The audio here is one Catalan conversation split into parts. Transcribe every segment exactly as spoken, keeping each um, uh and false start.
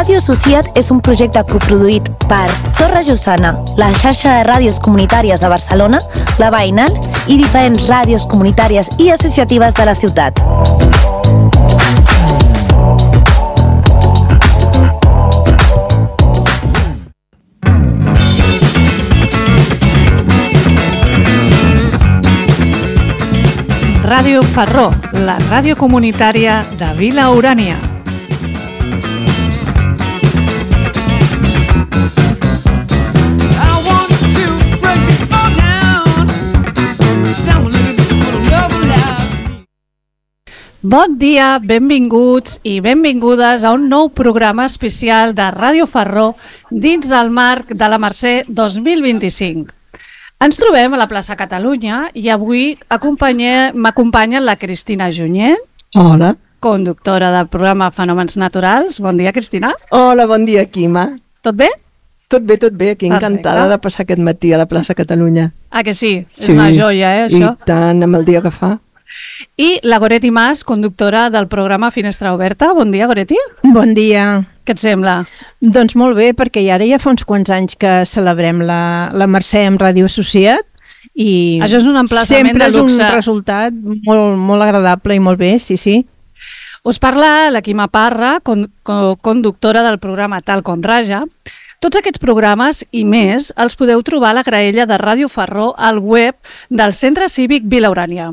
Ràdio Associat és un projecte coproduït per Torre Lluçana, la xarxa de ràdios comunitàries de Barcelona, la Veïnal i diferents ràdios comunitàries i associatives de la ciutat. Ràdio Farró, la ràdio comunitària de Vila Urània. Bon dia, benvinguts i benvingudes a un nou programa especial de Ràdio Farró dins del marc de la Mercè dos mil vint-i-cinc. Ens trobem a la plaça Catalunya i avui m'acompanya la Cristina Junyent. Hola. Conductora del programa Fenòmens Naturals. Bon dia, Cristina. Hola, bon dia, Quima. Tot bé? Tot bé, tot bé. Aquí encantada de passar aquest matí a la plaça Catalunya. Ah, que sí? Sí. És una joia, eh, això? I tant, amb el dia que fa. I la Goretti Mas, conductora del programa Finestra Oberta. Bon dia, Goretti. Bon dia. Què et sembla? Doncs molt bé, perquè ara ja fa uns quants anys que celebrem la, la Mercè amb Ràdio Associat i això és un emplaçament sempre de luxe. És un resultat molt, molt agradable i molt bé, sí, sí. Us parla la Quima Parra, con, con, conductora del programa Tal com Raja. Tots aquests programes i més els podeu trobar a la graella de Ràdio Farró al web del Centre Cívic Vila Urània.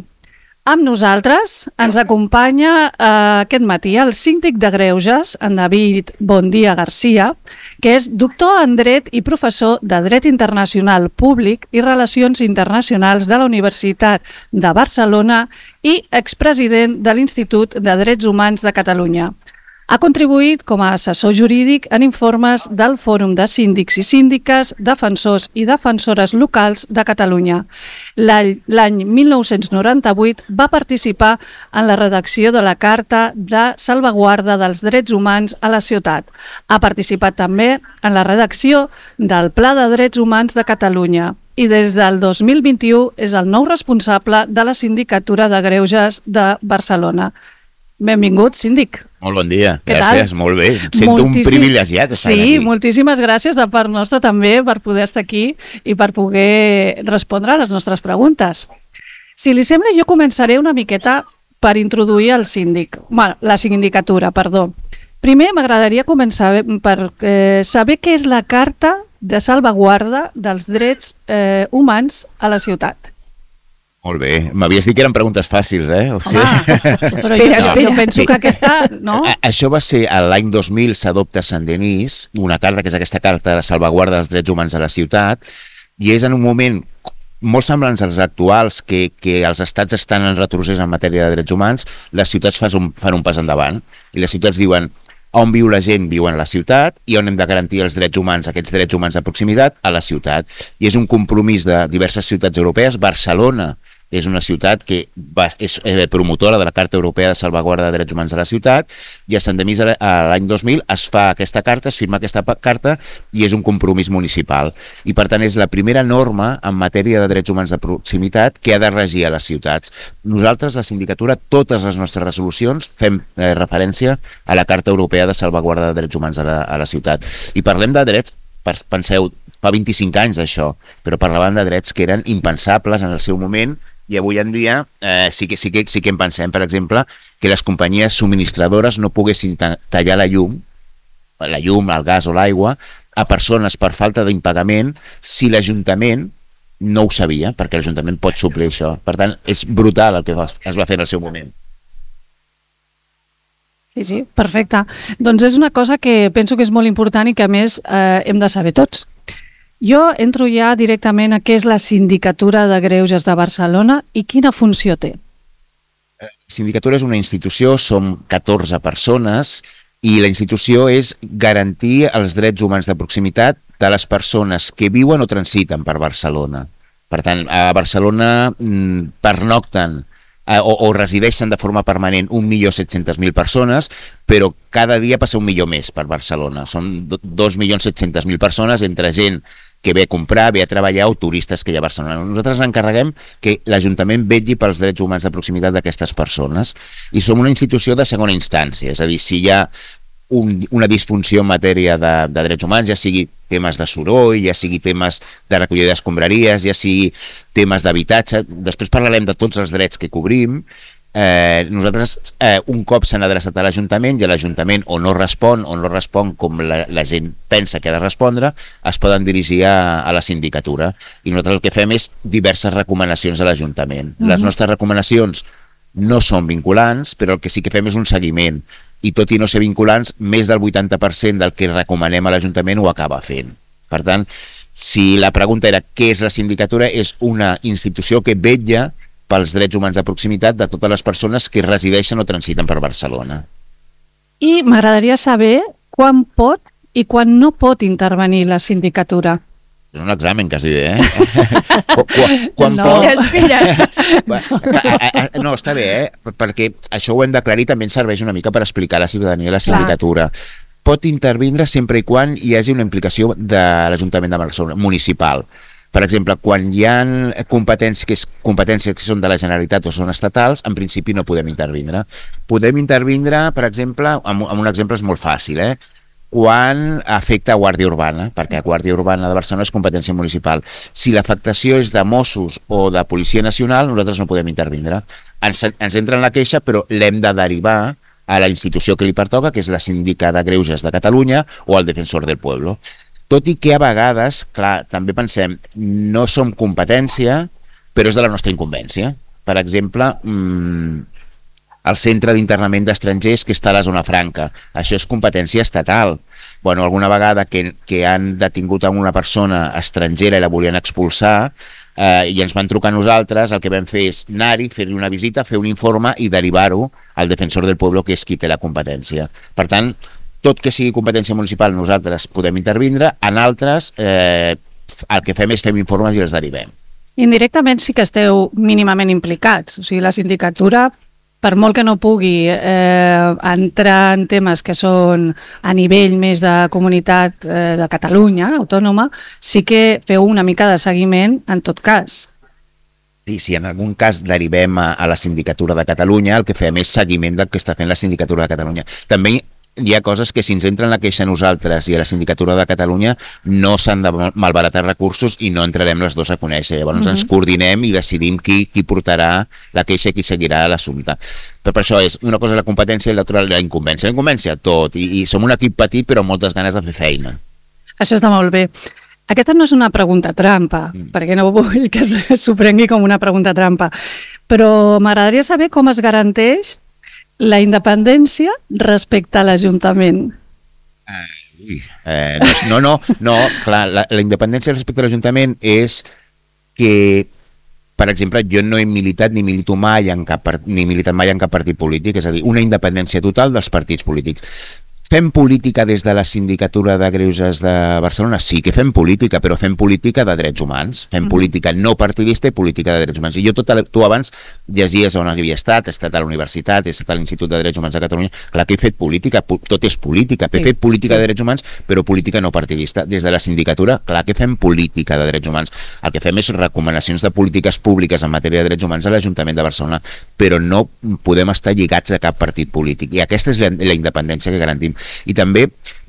Amb nosaltres ens acompanya eh, aquest matí el síndic de Greuges, en David Bondia Garcia, que és doctor en Dret i professor de Dret Internacional Públic i Relacions Internacionals de la Universitat de Barcelona i expresident de l'Institut de Drets Humans de Catalunya. Ha contribuït com a assessor jurídic en informes del Fòrum de Síndics i Síndiques, Defensors i Defensores Locals de Catalunya. L'any mil nou-cents noranta-vuit va participar en la redacció de la Carta de Salvaguarda dels Drets Humans a la ciutat. Ha participat també en la redacció del Pla de Drets Humans de Catalunya i des del dos mil vint-i-u és el nou responsable de la Sindicatura de Greuges de Barcelona. Benvingut, síndic. Molt bon dia, gràcies, molt bé. Em sento Moltíssim... un privilegiat estar sí, aquí. Sí, moltíssimes gràcies de part nostra també per poder estar aquí i per poder respondre a les nostres preguntes. Si li sembla, jo començaré una miqueta per introduir el síndic, bueno, la sindicatura, perdó. Primer m'agradaria començar per eh, saber què és la Carta de Salvaguarda dels Drets eh, Humans a la ciutat. Molt bé. M'havies dit que eren preguntes fàcils, eh? O sigui... Home, però jo, no, jo penso sí. que aquesta... No? A, això va ser l'any dos mil, s'adopta a Saint-Denis, una carta, que és aquesta carta de salvaguarda dels drets humans a la ciutat, i és en un moment molt semblants als actuals, que, que els estats estan en retrocés en matèria de drets humans, les ciutats fan un, fan un pas endavant, i les ciutats diuen on viu la gent, viuen a la ciutat, i on hem de garantir els drets humans, aquests drets humans de proximitat, a la ciutat. I és un compromís de diverses ciutats europees. Barcelona és una ciutat que va, és promotora de la Carta Europea de Salvaguarda de Drets Humans a la ciutat, i a Sant Denis l'any dos mil es fa aquesta carta, es firma aquesta carta, i és un compromís municipal. I per tant és la primera norma en matèria de drets humans de proximitat que ha de regir a les ciutats. Nosaltres, la sindicatura, totes les nostres resolucions fem eh, referència a la Carta Europea de Salvaguarda de Drets Humans a la, a la ciutat. I parlem de drets, penseu, fa vint-i-cinc anys d'això, però parlaven de drets que eren impensables en el seu moment, i avui en dia eh, sí, que, sí, que, sí que en pensem, per exemple, que les companyies subministradores no poguessin tallar la llum, la llum, el gas o l'aigua, a persones per falta d'impagament si l'Ajuntament no ho sabia, perquè l'Ajuntament pot suplir això. Per tant, és brutal el que es va fer en el seu moment. Sí, sí, perfecte. Doncs és una cosa que penso que és molt important i que a més eh, hem de saber tots. Jo entro ja directament a què és la Sindicatura de Greuges de Barcelona i quina funció té. La Sindicatura és una institució, som catorze persones, i la institució és garantir els drets humans de proximitat de les persones que viuen o transiten per Barcelona. Per tant, a Barcelona pernocten o, o resideixen de forma permanent un milió set-centes mil persones, però cada dia passa un milió més per Barcelona. Són dos milions set-centes mil persones, entre gent que ve a comprar, ve a treballar, o turistes que hi ha a Barcelona. Nosaltres ens encarreguem que l'Ajuntament vetlli pels drets humans de proximitat d'aquestes persones, i som una institució de segona instància, és a dir, si hi ha un, una disfunció en matèria de, de drets humans, ja sigui temes de soroll, ja sigui temes de recollida d'escombraries, ja sigui temes d'habitatge. Després parlarem de tots els drets que cobrim. Eh, nosaltres, eh, un cop s'han adreçat a l'Ajuntament i l'Ajuntament o no respon o no respon com la, la gent pensa que ha de respondre, es poden dirigir a, a la sindicatura. I nosaltres el que fem és diverses recomanacions a l'Ajuntament. Mm-hmm. Les nostres recomanacions no són vinculants, però el que sí que fem és un seguiment. I tot i no ser vinculants, més del vuitanta per cent del que recomanem a l'Ajuntament ho acaba fent. Per tant, si la pregunta era què és la sindicatura, és una institució que vetlla pels drets humans de proximitat de totes les persones que resideixen o transiten per Barcelona. I m'agradaria saber quan pot i quan no pot intervenir la sindicatura. És un examen, quasi bé, eh? quan, quan no, pot... espera. No, està bé, eh? Perquè això ho hem d'aclarir, també ens serveix una mica per explicar a la ciutadania la sindicatura. Clar. Pot intervindre sempre i quan hi hagi una implicació de l'Ajuntament de Barcelona, municipal. Per exemple, quan hi ha competències que, és, competències que són de la Generalitat o són estatals, en principi no podem intervindre. Podem intervindre, per exemple, amb, amb un exemple és molt fàcil, eh? quan afecta a Guàrdia Urbana, perquè a Guàrdia Urbana de Barcelona és competència municipal. Si l'afectació és de Mossos o de Policia Nacional, nosaltres no podem intervindre. Ens, ens entra en la queixa, però l'hem de derivar a la institució que li pertoca, que és la Síndica de Greuges de Catalunya o el Defensor del Pueblo. Tot i que a vegades, clar, també pensem, no som competència, però és de la nostra incumbència. Per exemple, mmm, el centre d'internament d'estrangers que està a la zona franca. Això és competència estatal. Bueno, alguna vegada que, que han detingut a una persona estrangera i la volien expulsar eh, i ens van trucar a nosaltres, el que vam fer és anar-hi, fer-li una visita, fer un informe i derivar-ho al Defensor del Pueblo, que és qui té la competència. Per tant, tot que sigui competència municipal nosaltres podem intervindre, en altres eh, el que fem és fem informes i els derivem. Indirectament sí que esteu mínimament implicats, o sigui, la sindicatura, per molt que no pugui eh, entrar en temes que són a nivell més de comunitat eh, de Catalunya, autònoma, sí que feu una mica de seguiment en tot cas. Sí, si en algun cas derivem a, a la Sindicatura de Catalunya, el que fem és seguiment del que està fent la Sindicatura de Catalunya. També hi ha coses que si ens entren la queixa a nosaltres i a la Sindicatura de Catalunya no s'han de malbaratar recursos i no entrarem les dues a conèixer. Llavors mm-hmm. ens coordinem i decidim qui, qui portarà la queixa i qui seguirà l'assumpte. Però per això és una cosa la competència i l'altra la incumbència. La incumbència, tot. I, I som un equip petit però amb moltes ganes de fer feina. Això està molt bé. Aquesta no és una pregunta trampa, mm. perquè no vull que s'ho prengui com una pregunta trampa, però m'agradaria saber com es garanteix la independència respecte a l'Ajuntament. Uh, ui, eh, no, no, no, clar, la, la independència respecte a l'Ajuntament és que, per exemple, jo no he militat ni milito mai en cap, ni militat mai en cap partit polític, és a dir, una independència total dels partits polítics. Fem política des de la Sindicatura de Greuges de Barcelona? Sí que fem política, però fem política de drets humans. Fem mm-hmm. política no partidista i política de drets humans. I jo, tot, tu abans llegies on havia estat, he estat a la universitat, he estat a l'Institut de Drets Humans de Catalunya, clar que he fet política, tot és política. He sí, fet política sí. de drets humans, però política no partidista. Des de la sindicatura, clar que fem política de drets humans. El que fem és recomanacions de polítiques públiques en matèria de drets humans a l'Ajuntament de Barcelona, però no podem estar lligats a cap partit polític. I aquesta és la, la independència que garantim. I també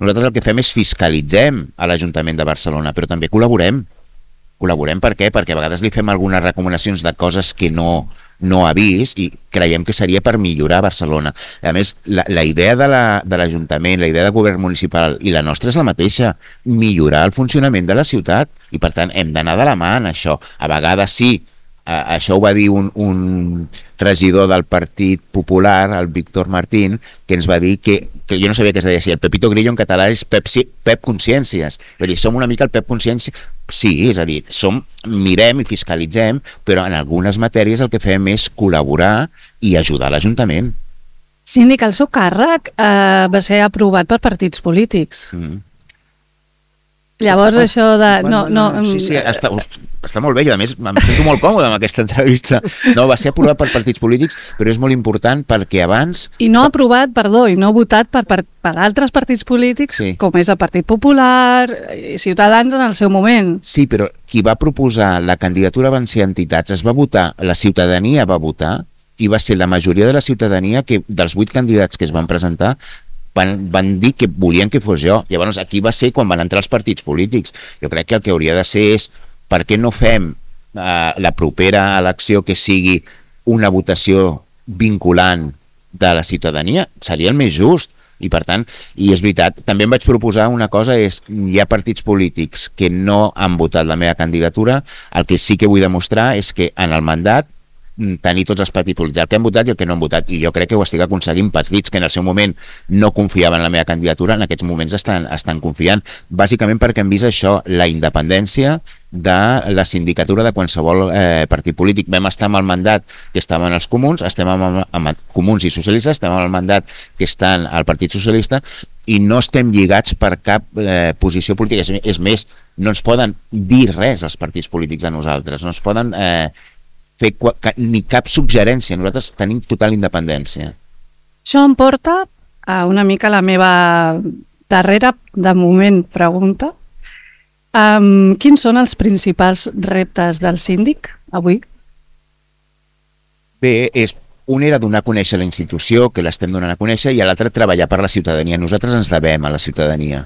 nosaltres el que fem és fiscalitzem a l'Ajuntament de Barcelona, però també col·laborem. Col·laborem per què? Perquè a vegades li fem algunes recomanacions de coses que no, no ha vist i creiem que seria per millorar Barcelona. A més, la, la idea de l'Ajuntament, la, la idea de govern municipal i la nostra és la mateixa, millorar el funcionament de la ciutat i per tant hem d'anar de la mà en això. A vegades sí, a, això ho va dir un, un regidor del Partit Popular, el Víctor Martín, que ens va dir que, que jo no sabia què es deia així, el Pepito Grillo en català és Pep, Pep Consciències. Vull dir, som una mica el Pep Consciència. Sí, és a dir, som, mirem i fiscalitzem, però en algunes matèries el que fem és col·laborar i ajudar l'Ajuntament. Síndic, el seu càrrec eh, va ser aprovat per partits polítics. Mm. Llavors ah, això de... No, no, no, sí, sí, està, està molt bé i a més em sento molt còmode amb aquesta entrevista. No, va ser aprovat per partits polítics, però és molt important perquè abans... I no aprovat, perdó, i no votat per, per, per altres partits polítics, sí. Com és el Partit Popular i Ciutadans en el seu moment. Sí, però qui va proposar la candidatura van ser entitats, es va votar, la ciutadania va votar i va ser la majoria de la ciutadania que dels vuit candidats que es van presentar van, van dir que volien que fos jo. Llavors aquí va ser quan van entrar els partits polítics. Jo crec que el que hauria de ser és per què no fem eh, la propera elecció que sigui una votació vinculant de la ciutadania? Seria el més just. I per tant, i és veritat, també em vaig proposar una cosa, és hi ha partits polítics que no han votat la meva candidatura, el que sí que vull demostrar és que en el mandat tenir tots els partits polítics, el que han votat i el que no han votat, i jo crec que ho estic aconseguint. Partits que en el seu moment no confiaven en la meva candidatura, en aquests moments estan, estan confiant, bàsicament perquè hem vist això, la independència de la sindicatura de qualsevol eh, partit polític. Vam estar amb el mandat que estaven els comuns, estem amb, amb comuns i socialistes, estem amb el mandat que estan al Partit Socialista, i no estem lligats per cap eh, posició política. És, és més, no ens poden dir res els partits polítics a nosaltres, no ens poden eh, fer ni cap suggerència, nosaltres tenim total independència. Això em porta a una mica la meva darrera, de moment, pregunta. Um, quins són els principals reptes del síndic avui? Bé, és, un era donar a conèixer la institució, que l'estem donant a conèixer, i l'altre treballar per la ciutadania. Nosaltres ens devem a la ciutadania.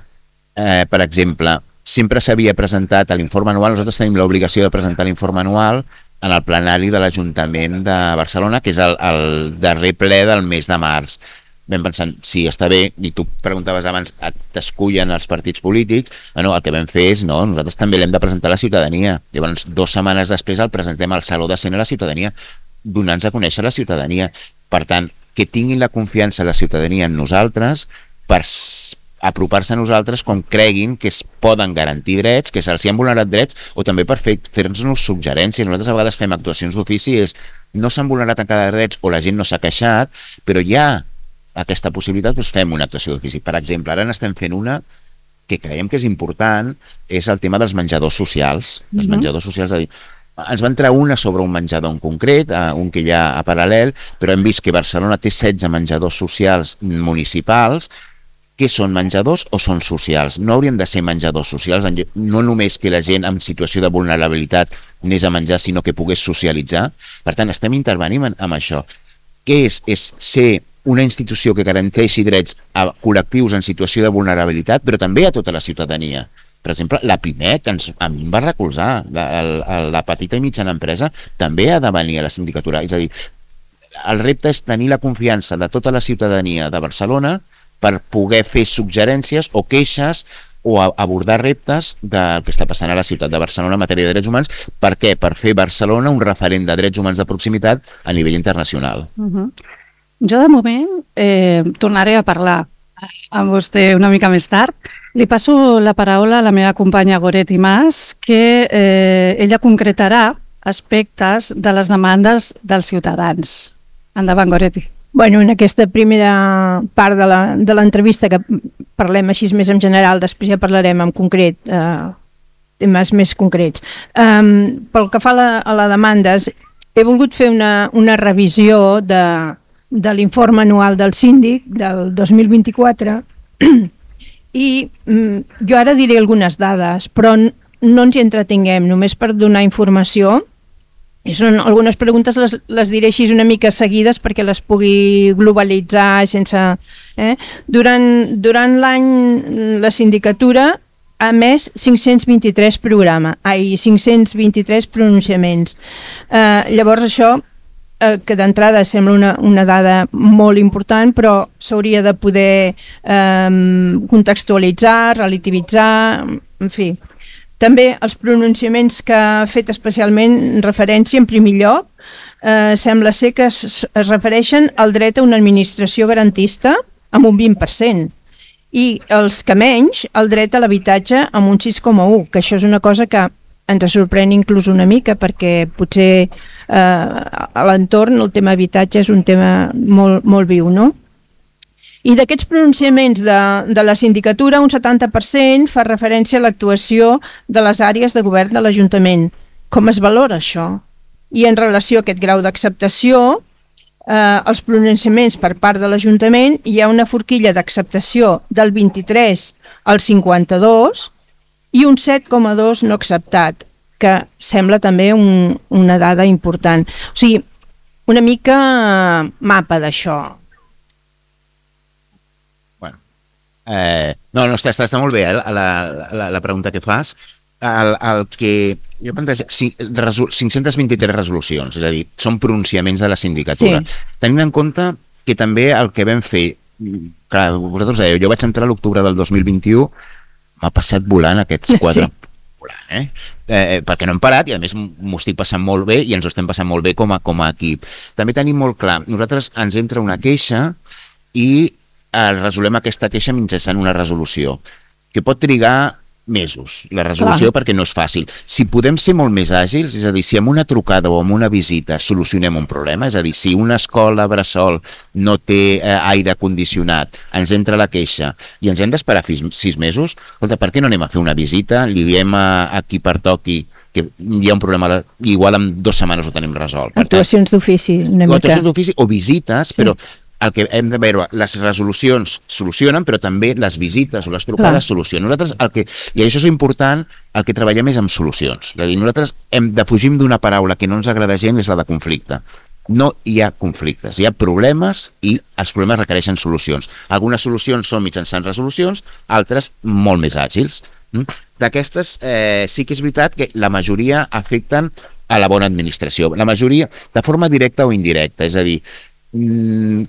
Eh, per exemple, sempre s'havia presentat a l'informe anual, nosaltres tenim l'obligació de presentar l'informe anual en el plenari de l'Ajuntament de Barcelona, que és el, el darrer ple del mes de març. Vam pensant, si està bé, i tu preguntaves abans, t'escullen els partits polítics, bueno, el que vam fer és, no, nosaltres també l'hem de presentar a la ciutadania. Llavors, dues setmanes després el presentem al Saló de Cent a la ciutadania, donant-nos a conèixer la ciutadania. Per tant, que tinguin la confiança la ciutadania en nosaltres per apropar-se a nosaltres com creguin que es poden garantir drets, que se'ls han vulnerat drets, o també per fer, fer-nos suggerències. Nosaltres a vegades fem actuacions d'ofici, és no s'han vulnerat encara drets o la gent no s'ha queixat, però hi ha aquesta possibilitat, doncs fem una actuació d'ofici. Per exemple, ara n'estem fent una que creiem que és important, és el tema dels menjadors socials. Els mm-hmm. menjadors socials, a dir, ens va entrar una sobre un menjador en concret, un que hi ha a paral·lel, però hem vist que Barcelona té setze menjadors socials municipals. Què són, menjadors o són socials? No haurien de ser menjadors socials, no només que la gent en situació de vulnerabilitat anés a menjar, sinó que pogués socialitzar. Per tant, estem intervenint amb això. Què és? És ser una institució que garanteixi drets a col·lectius en situació de vulnerabilitat, però també a tota la ciutadania. Per exemple, la Pimec, que ens, a mi em va recolzar, la, la, la petita i mitjana empresa, també ha de venir a la sindicatura. És a dir, el repte és tenir la confiança de tota la ciutadania de Barcelona per poder fer suggerències o queixes o abordar reptes del que està passant a la ciutat de Barcelona en matèria de drets humans. Per què? Per fer Barcelona un referent de drets humans de proximitat a nivell internacional. Uh-huh. Jo, de moment, eh, tornaré a parlar amb vostè una mica més tard. Li passo la paraula a la meva companya Goretti Mas, que eh, ella concretarà aspectes de les demandes dels ciutadans. Endavant, Goretti. Bueno, en aquesta primera part de l'entrevista que parlem així més en general, després ja parlarem en concret, eh, temes més concrets. Um, pel que fa a, la, a la demandes, he volgut fer una, una revisió de, de l'informe anual del síndic del dos mil vint-i-quatre i um, jo ara diré algunes dades, però no ens hi entretinguem, només per donar informació. I són algunes preguntes, les, les diré així una mica seguides perquè les pugui globalitzar sense... Eh? Durant, durant l'any la sindicatura ha emès cinc-cents vint-i-tres programes, ai, cinc-cents vint-i-tres pronunciaments. Eh, llavors això, eh, que d'entrada sembla una, una dada molt important, però s'hauria de poder eh, contextualitzar, relativitzar, en fi... També els pronunciaments que ha fet especialment referència, en primer lloc, eh, sembla ser que es, es refereixen al dret a una administració garantista amb un vint per cent i els que menys, el dret a l'habitatge amb un sis coma u, que això és una cosa que ens sorprèn inclús una mica perquè potser eh, a l'entorn el tema habitatge és un tema molt, molt viu, no? I d'aquests pronunciaments de, de la sindicatura, un setanta per cent fa referència a l'actuació de les àrees de govern de l'Ajuntament. Com es valora això? I en relació a aquest grau d'acceptació, eh, els pronunciaments per part de l'Ajuntament, hi ha una forquilla d'acceptació del vint-i-tres al cinquanta-dos i un set coma dos no acceptat, que sembla també un, una dada important. O sigui, una mica mapa d'això. Bueno, Eh, no, no, està, està, està molt bé eh, la, la, la pregunta que fas. El, el que jo plantejo, cinc-centes vint-i-tres resolucions, és a dir, són pronunciaments de la sindicatura. Sí. Tenint en compte que també el que vam fer, clar, vosaltres dèieu, jo vaig entrar a l'octubre del dos mil vint-i-u, m'ha passat volant aquests quatre... Sí. Volant, eh? Eh, perquè no hem parat i a més m'ho estic passant molt bé i ens ho estem passant molt bé com a, com a equip. També tenim molt clar, nosaltres ens entra una queixa i eh, resolem aquesta queixa mitjançant una resolució, que pot trigar mesos, la resolució, clar, perquè no és fàcil. Si podem ser molt més àgils, és a dir, si amb una trucada o amb una visita solucionem un problema, és a dir, si una escola bressol no té eh, aire condicionat, ens entra la queixa i ens hem d'esperar sis mesos, escolta, per què no anem a fer una visita, li diem a, a qui pertoqui que hi ha un problema, igual en dues setmanes ho tenim resolt. Actuacions d'ofici, una mica. Actuacions d'ofici o visites, sí, però el que hem de veure, les resolucions solucionen, però també les visites o les trucades, clar, solucionen. Nosaltres, el que, i això és important, el que treballem és amb solucions. És a dir, nosaltres hem de fugir d'una paraula que no ens agrada gent, és la de conflicte. No hi ha conflictes, hi ha problemes i els problemes requereixen solucions. Algunes solucions són mitjançant resolucions, altres molt més àgils. D'aquestes, eh, sí que és veritat que la majoria afecten a la bona administració. La majoria de forma directa o indirecta, és a dir,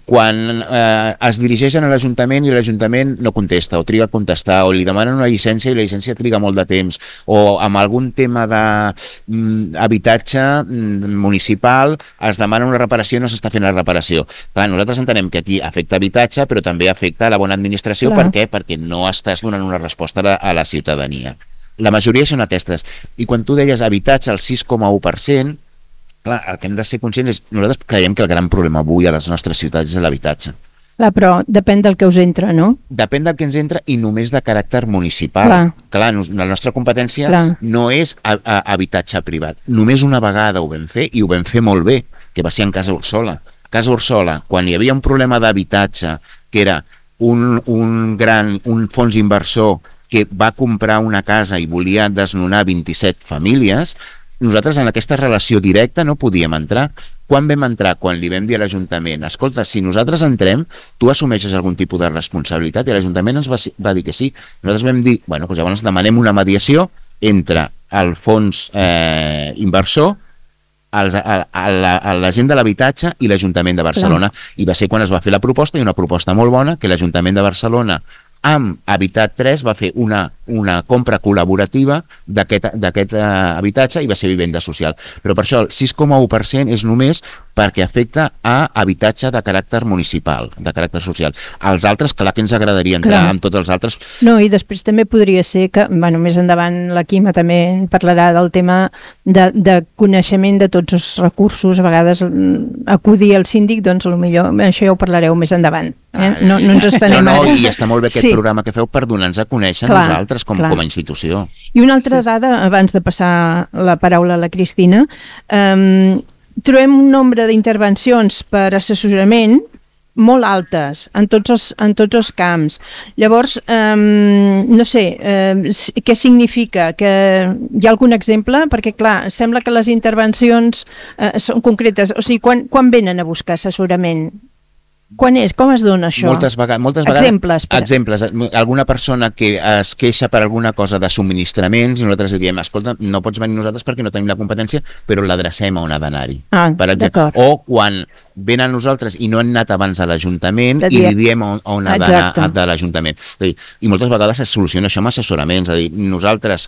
quan eh, es dirigeixen a l'Ajuntament i l'Ajuntament no contesta o triga a contestar o li demanen una llicència i la llicència triga molt de temps o amb algun tema d'habitatge municipal es demana una reparació i no s'està fent la reparació. Clar, nosaltres entenem que aquí afecta habitatge però també afecta la bona administració. Clar. Per què? Perquè no estàs donant una resposta a la, a la ciutadania. La majoria són aquestes. I quan tu deies habitatge al sis coma u per cent, clar, el que hem de ser conscients és, nosaltres creiem que el gran problema avui a les nostres ciutats és l'habitatge. Clar, però depèn del que us entra, no? Depèn del que ens entra i només de caràcter municipal. Clar, clar la nostra competència, clar, no és a, a, habitatge privat. Només una vegada ho vam fer i ho vam fer molt bé, que va ser en Casa Ursola. A Casa Ursola, quan hi havia un problema d'habitatge, que era un, un gran un fons inversor que va comprar una casa i volia desnonar vint-i-set famílies, nosaltres en aquesta relació directa no podíem entrar. Quan vam entrar? Quan li vam dir a l'Ajuntament, escolta, si nosaltres entrem, tu assumeixes algun tipus de responsabilitat? I l'Ajuntament ens va, va dir que sí. Nosaltres vam dir, bueno, doncs llavors demanem una mediació entre el fons eh, inversor, els, a, a, la, a la gent de l'habitatge i l'Ajuntament de Barcelona. Clar. I va ser quan es va fer la proposta, i una proposta molt bona, que l'Ajuntament de Barcelona amb Habitat tres va fer una, una compra col·laborativa d'aquest eh, habitatge i va ser vivenda social. Però per això el sis coma u per cent és només perquè afecta a habitatge de caràcter municipal, de caràcter social. Els altres, clar que ens agradaria entrar, clar, amb tots els altres. No, i després també podria ser que, bueno, més endavant la Quima també parlarà del tema de, de coneixement de tots els recursos, a vegades acudir al síndic, doncs potser això ja ho parlareu més endavant. Eh? No, no ens estenem no, no, ara. I està molt bé aquest sí. programa que feu per donar-nos a conèixer clar, nosaltres com, com a institució. I una altra sí. dada, abans de passar la paraula a la Cristina, um, trobem un nombre d'intervencions per assessorament molt altes en tots els, en tots els camps. Llavors, um, no sé, um, què significa? Que hi ha algun exemple? Perquè, clar, sembla que les intervencions uh, són concretes. O sigui, quan, quan venen a buscar assessorament? Quan és? Com es dona això? Moltes vegades, moltes vegades exemples, per... exemples. Alguna persona que es queixa per alguna cosa de subministraments i nosaltres li diem, escolta, no pots venir nosaltres perquè no tenim la competència, però l'adrecem a on ha d'anar-hi. Ah, d'acord. O quan venen a nosaltres i no han anat abans a l'Ajuntament i li diem on, on ha d'anar de l'Ajuntament. I moltes vegades es soluciona això amb assessoraments. És a dir, nosaltres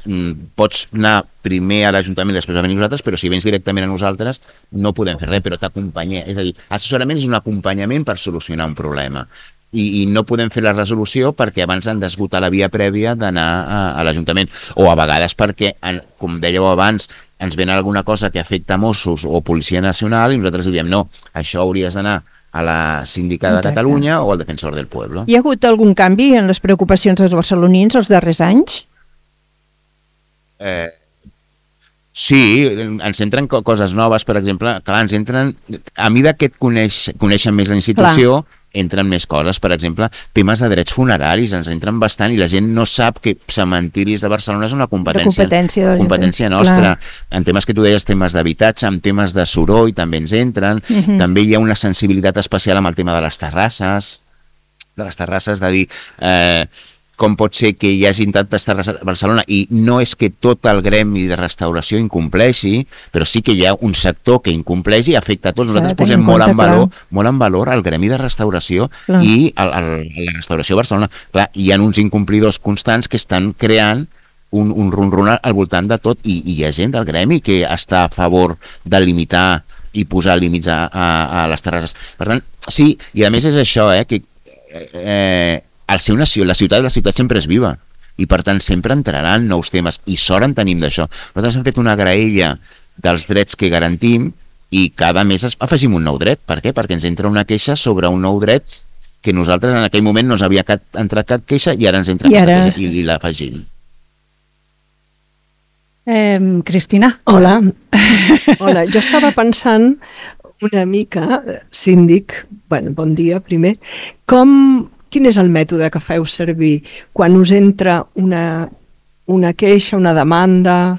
pots anar primer a l'Ajuntament i després a venir nosaltres, però si vens directament a nosaltres no podem fer res, però t'acompanyem. És a dir, assessorament és un acompanyament per solucionar un problema. I, i no podem fer la resolució perquè abans han d'esgotar la via prèvia d'anar a, a l'Ajuntament. O a vegades perquè, com dèieu abans, ens ven alguna cosa que afecta Mossos o Policia Nacional i nosaltres diem, no, això hauries d'anar a la Síndica de Exacte. Catalunya o al Defensor del Pueblo. Hi ha hagut algun canvi en les preocupacions dels barcelonins els darrers anys? Eh... Sí, ens entren coses noves, per exemple, clar, ens entren, a mesura que et coneix, coneixen més la institució, clar. Entren més coses, per exemple, temes de drets funeraris, ens entren bastant i la gent no sap que cementiris de Barcelona és una competència, competència, competència nostra. Clar. En temes que tu deies, temes d'habitatge, en temes de soroll també ens entren, uh-huh. També hi ha una sensibilitat especial amb el tema de les terrasses. de les terrasses, de dir eh, com pot ser que hi hagi tantes terrasses a Barcelona, i no és que tot el gremi de restauració incompleixi, però sí que hi ha un sector que incompleix i afecta a tots. Nosaltres posem molt en valor, molt en valor el gremi de restauració clar. i el, el, la restauració a Barcelona. Clar, hi ha uns incomplidors constants que estan creant un, un ron-ron al voltant de tot, i, i hi ha gent del gremi que està a favor de limitar i posar límits a, a, a les terrasses. Per tant, sí, i a més és això, eh, que eh, al ser una ciutat, la ciutat, la ciutat sempre és viva, i per tant sempre entraran nous temes, i sort en tenim d'això. Nosaltres hem fet una graella dels drets que garantim, i cada mes afegim un nou dret. Per què? Perquè ens entra una queixa sobre un nou dret que nosaltres en aquell moment no ens havia cap, entrat cap queixa, i ara ens entra I aquesta ara... queixa i, i l'afegim. Eh, Cristina. Hola. Hola, jo estava pensant una mica, síndic, bueno, bon dia primer, com... Quin és el mètode que feu servir quan us entra una, una queixa, una demanda,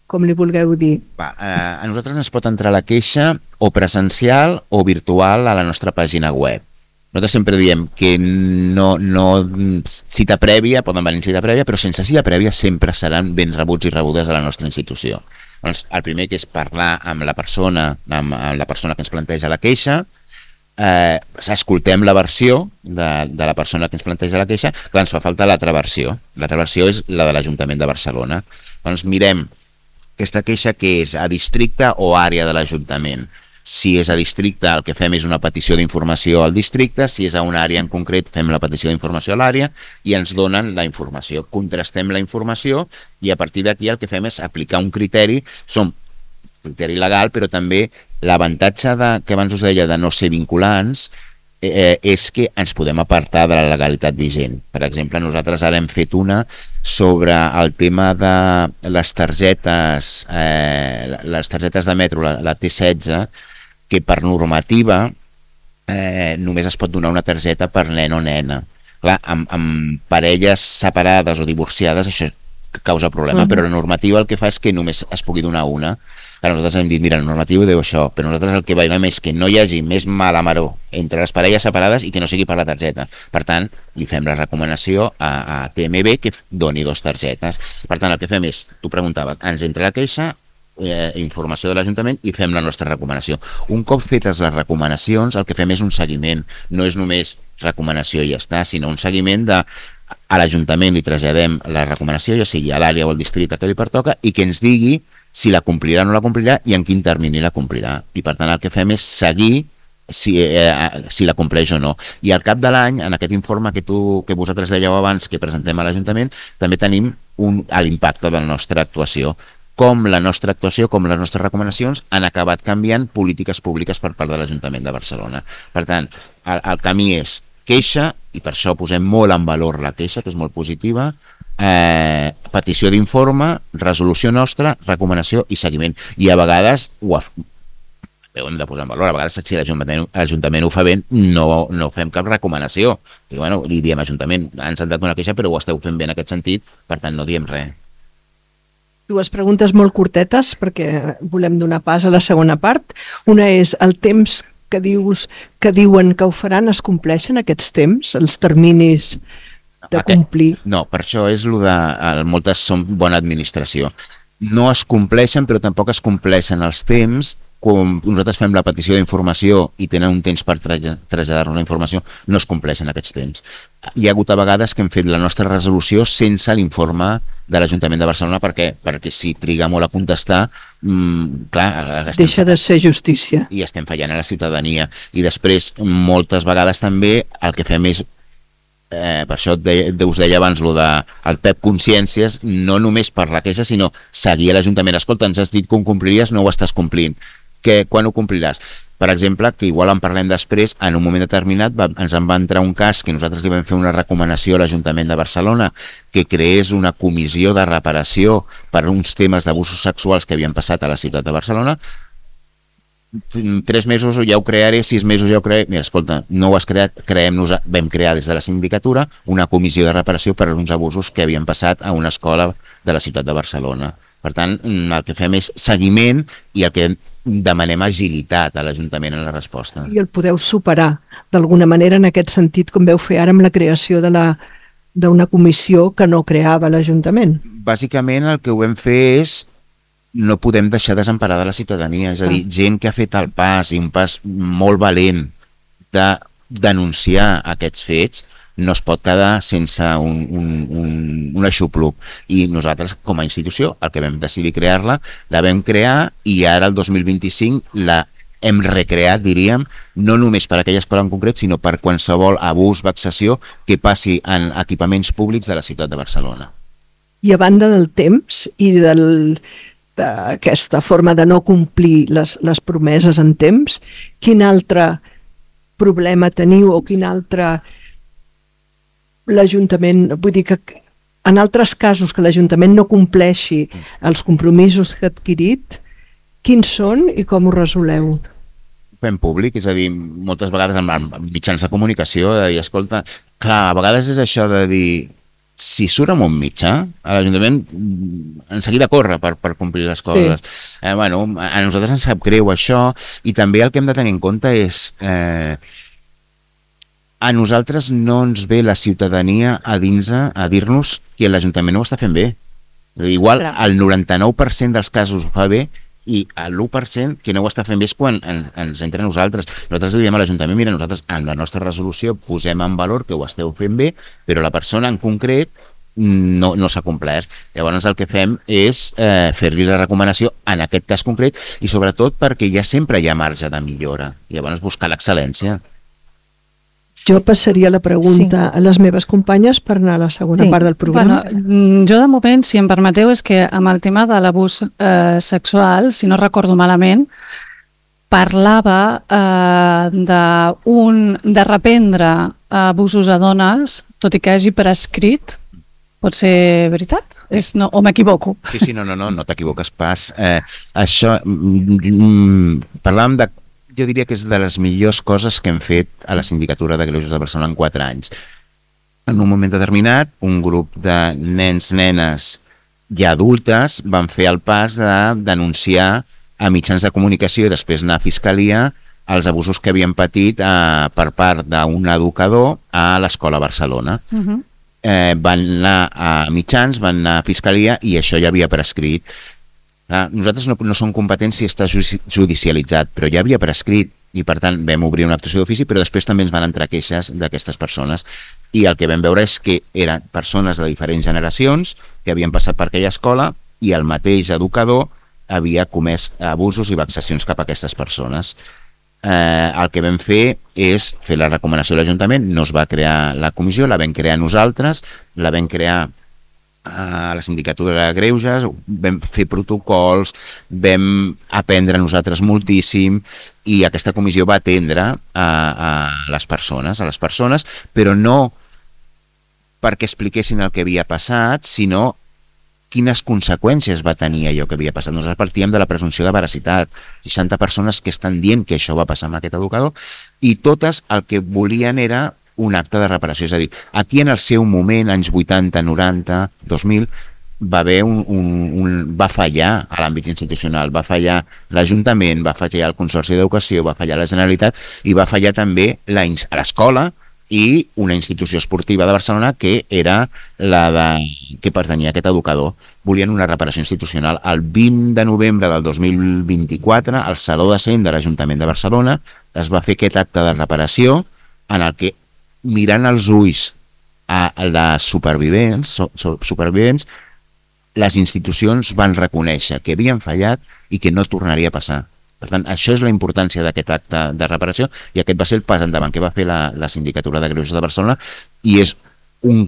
com li vulgueu dir? Va, eh, a nosaltres ens pot entrar la queixa o presencial o virtual a la nostra pàgina web. Nosaltres sempre diem que no, no cita prèvia, poden venir cita prèvia, però sense cita prèvia sempre seran ben rebuts i rebudes a la nostra institució. Doncs el primer que és parlar amb la persona, amb, amb la persona que ens planteja la queixa, Eh, escoltem la versió de, de la persona que ens planteja la queixa. Clar, ens fa falta l'altra versió. L'altra versió és la de l'Ajuntament de Barcelona. Doncs mirem aquesta queixa que és a districte o àrea de l'Ajuntament. Si és a districte, el que fem és una petició d'informació al districte. Si és a una àrea en concret, fem la petició d'informació a l'àrea i ens donen la informació. Contrastem la informació i a partir d'aquí el que fem és aplicar un criteri. Som criteri legal, però també l'avantatge de, que abans us deia de no ser vinculants eh, és que ens podem apartar de la legalitat vigent. Per exemple, nosaltres ara hem fet una sobre el tema de les targetes eh, les targetes de metro, la, la T setze, que per normativa eh, només es pot donar una targeta per nen o nena. Clar, amb, amb parelles separades o divorciades això causa problema, uh-huh. però la normativa el que fa és que només es pugui donar una. Clar, nosaltres hem dit, mira, la normativa diu això, però nosaltres el que veiem és que no hi hagi més mala maror entre les parelles separades i que no sigui per la targeta. Per tant, li fem la recomanació a, a T M B que doni dos targetes. Per tant, el que fem és, tu preguntaves, ens entra la queixa, eh, informació de l'Ajuntament i fem la nostra recomanació. Un cop fetes les recomanacions, el que fem és un seguiment. No és només recomanació i ja està, sinó un seguiment de a l'Ajuntament li traslladem la recomanació, ja sigui a l'àrea o al districte que li pertoca, i que ens digui si la complirà o no la complirà i en quin termini la complirà. I per tant el que fem és seguir si, eh, si la compleix o no. I al cap de l'any, en aquest informe que, tu, que vosaltres dèieu abans que presentem a l'Ajuntament, també tenim un, l'impacte de la nostra actuació. Com la nostra actuació, com les nostres recomanacions han acabat canviant polítiques públiques per part de l'Ajuntament de Barcelona. Per tant, el, el camí és queixa, i per això posem molt en valor la queixa, que és molt positiva, eh, petició d'informe, resolució nostra, recomanació i seguiment. I a vegades ho, af... ho hem de posar en valor, a vegades si l'Ajuntament, l'Ajuntament ho fa bé, no, no fem cap recomanació. I, bueno, li diem Ajuntament, ens han dat una queixa però ho esteu fent bé en aquest sentit, per tant no diem res. Dues preguntes molt curtetes perquè volem donar pas a la segona part. Una és el temps que dius que diuen que ho faran, es compleixen aquests temps, els terminis de complir? No, per això és el de... Moltes són bona administració. No es compleixen, però tampoc es compleixen els temps. Quan nosaltres fem la petició d'informació i tenen un temps per traslladar-nos la informació, no es compleixen aquests temps. Hi ha hagut a vegades que hem fet la nostra resolució sense l'informe de l'Ajuntament de Barcelona, perquè, perquè si triga molt a contestar, mmm, clar... Deixa de ser justícia. I estem fallant a la ciutadania. I després, moltes vegades també, el que fem és, eh, per això de, de, us deia abans, lo de el P E P Consciències, no només per la queixa, sinó seguir a l'Ajuntament. Escolta, ens has dit que ho compliries, no ho estàs complint. Que, quan ho compliràs? Per exemple, que igual en parlem després, en un moment determinat va, ens en va entrar un cas que nosaltres li vam fer una recomanació a l'Ajuntament de Barcelona que creés una comissió de reparació per uns temes d'abusos sexuals que havien passat a la ciutat de Barcelona. Tres mesos ja ho crearé, sis mesos ja ho crearé. Mira, escolta, no ho has creat, creem-nos, vam crear des de la sindicatura una comissió de reparació per uns abusos que havien passat a una escola de la ciutat de Barcelona. Per tant, el que fem és seguiment i el que demanem agilitat a l'Ajuntament en la resposta. I el podeu superar d'alguna manera en aquest sentit, com veu fer ara amb la creació de la d'una comissió que no creava l'Ajuntament. Bàsicament el que ho vam fer és no podem deixar desemparada la ciutadania, és a dir, gent que ha fet el pas, i un pas molt valent de denunciar aquests fets, no es pot quedar sense un, un, un, un aixopluc. I nosaltres, com a institució, el que vam decidir crear-la, la vam crear i ara, el dos mil vint-i-cinc, la hem recreat, diríem, no només per aquella escola en concret, sinó per qualsevol abús, vexació que passi en equipaments públics de la ciutat de Barcelona. I a banda del temps i del, d'aquesta forma de no complir les, les promeses en temps, quin altre problema teniu o quin altre l'Ajuntament, vull dir que en altres casos que l'Ajuntament no compleixi els compromisos que ha adquirit, quins són i com ho resoleu? Fem públic, és a dir, moltes vegades amb mitjans de comunicació, de dir, escolta, clar, a vegades és això de dir, si surt amb un mitjà, a l'Ajuntament en seguida corre per, per complir les coses. Sí. Eh, bueno, a nosaltres ens sap greu això, i també el que hem de tenir en compte és... Eh, a nosaltres no ens ve la ciutadania a dins a dir-nos que l'Ajuntament no ho està fent bé. Igual el noranta-nou per cent dels casos ho fa bé i l'u per cent que no ho està fent bé és quan en, ens entra a nosaltres. Nosaltres li diem a l'Ajuntament, mira, nosaltres en la nostra resolució posem en valor que ho esteu fent bé, però la persona en concret no, no s'ha complert. Llavors el que fem és eh, fer-li la recomanació en aquest cas concret i sobretot perquè ja sempre hi ha marge de millora. Llavors buscar l'excel·lència. Jo passaria la pregunta sí. a les meves companyes per anar a la segona sí. part del programa. Bueno, jo de moment, si em permeteu, és que amb el tema de l'abús eh, sexual, si no recordo malament, parlava eh, de, un, de reprendre abusos a dones, tot i que hagi prescrit. Pot ser veritat? És, no, o m'equivoco? Sí, sí, no, no, no, no t'equivoques pas. Eh, això, mm, parlàvem de jo diria que és de les millors coses que hem fet a la Sindicatura de Greuges de Barcelona en quatre anys. En un moment determinat, un grup de nens, nenes i adultes van fer el pas de denunciar a mitjans de comunicació i després anar a Fiscalia els abusos que havien patit eh, per part d'un educador a l'Escola Barcelona. Uh-huh. eh, van anar a mitjans, van anar a Fiscalia i això ja havia prescrit. Ah, nosaltres no, no som competents si està judicialitzat, però ja havia prescrit i per tant vam obrir una actuació d'ofici, però després també ens van entrar queixes d'aquestes persones i el que vam veure és que eren persones de diferents generacions que havien passat per aquella escola i el mateix educador havia comès abusos i vexacions cap a aquestes persones. Eh, el que vam fer és fer la recomanació a l'Ajuntament, no es va crear la comissió, la vam crear nosaltres, la vam crear a la Sindicatura de Greuges, vam fer protocols, vam aprendre nosaltres moltíssim i aquesta comissió va atendre a, a les persones, a les persones, però no perquè expliquessin el que havia passat, sinó quines conseqüències va tenir allò que havia passat. Nosaltres partíem de la presumpció de veracitat, seixanta persones que estan dient que això va passar amb aquest educador i totes el que volien era un acte de reparació, és a dir, aquí en el seu moment, anys vuitanta, noranta, dos mil, va haver un, un, un va fallar a l'àmbit institucional, va fallar l'Ajuntament, va fallar el Consorci d'Educació, va fallar la Generalitat i va fallar també la, a l'escola i una institució esportiva de Barcelona que era la de, que pertanyia a aquest educador. Volien una reparació institucional. El vint de novembre del dos mil vint-i-quatre, al Saló de Cent de l'Ajuntament de Barcelona, es va fer aquest acte de reparació en el que mirant els ulls a les supervivents, supervivents, les institucions van reconèixer que havien fallat i que no tornaria a passar. Per tant, això és la importància d'aquest acte de reparació i aquest va ser el pas endavant que va fer la, la Sindicatura de Greuges de Barcelona i és un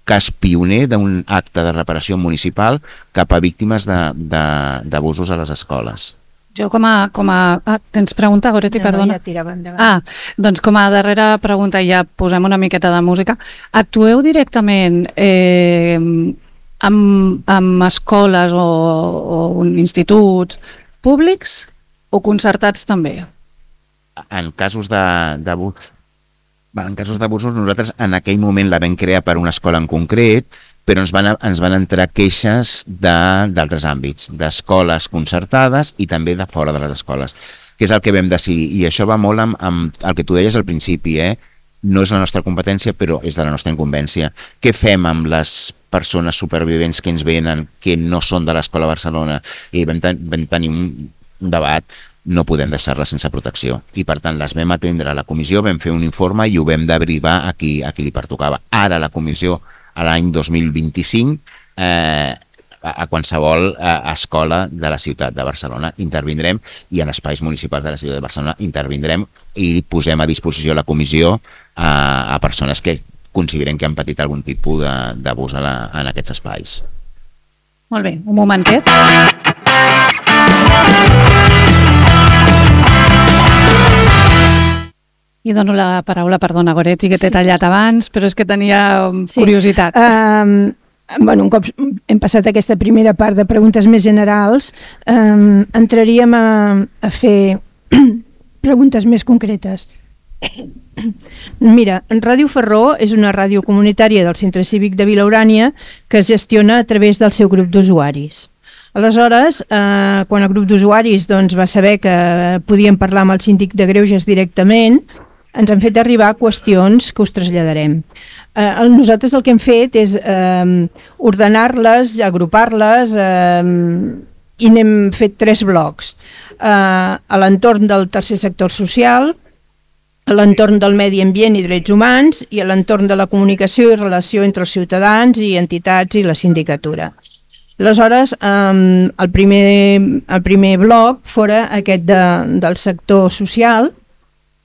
cas pioner d'un acte de reparació municipal cap a víctimes d'abusos a les escoles. Jo com a... Com a ah, tens pregunta, Goretti, no, perdona? Ja tirava endavant. Ah, doncs com a darrera pregunta, ja posem una miqueta de música. Actueu directament eh, amb, amb escoles o, o instituts públics o concertats també? En casos de, de, en casos d'abusos, nosaltres en aquell moment la vam crear per una escola en concret però ens van, ens van entrar queixes d'altres àmbits, d'escoles concertades i també de fora de les escoles, que és el que vam decidir. I això va molt amb, amb el que tu deies al principi, eh? No és la nostra competència, però és de la nostra incumbència. Què fem amb les persones supervivents que ens venen, que no són de l'Escola Barcelona? I vam, ten vam tenir un, un debat, no podem deixar-les sense protecció. I per tant les vam atendre a la comissió, vam fer un informe i ho vam derivar a qui, a qui li pertocava. Ara la comissió, a l'any dos mil vint-i-cinc, eh, a qualsevol eh, escola de la ciutat de Barcelona intervindrem, i en espais municipals de la ciutat de Barcelona intervindrem i posem a disposició la comissió a, a persones que consideren que han patit algun tipus d'abús en aquests espais. Molt bé, un momentet. I dono la paraula, perdona, Goretti, que t'he sí. tallat abans, però és que tenia sí. curiositat. Um, bueno, un cop hem passat aquesta primera part de preguntes més generals, um, entraríem a, a fer preguntes més concretes. Mira, Ràdio Ferró és una ràdio comunitària del Centre Cívic de Vila Urània que es gestiona a través del seu grup d'usuaris. Aleshores, eh, quan el grup d'usuaris doncs, va saber que podíem parlar amb el síndic de Greuges directament, ens han fet arribar qüestions que us traslladarem. Eh, nosaltres el que hem fet és eh, ordenar-les, agrupar-les eh, i n'hem fet tres blocs. Eh, a l'entorn del tercer sector social, a l'entorn del medi ambient i drets humans i a l'entorn de la comunicació i relació entre els ciutadans i entitats i la sindicatura. Aleshores, eh, el, primer, el primer bloc fora aquest de, del sector social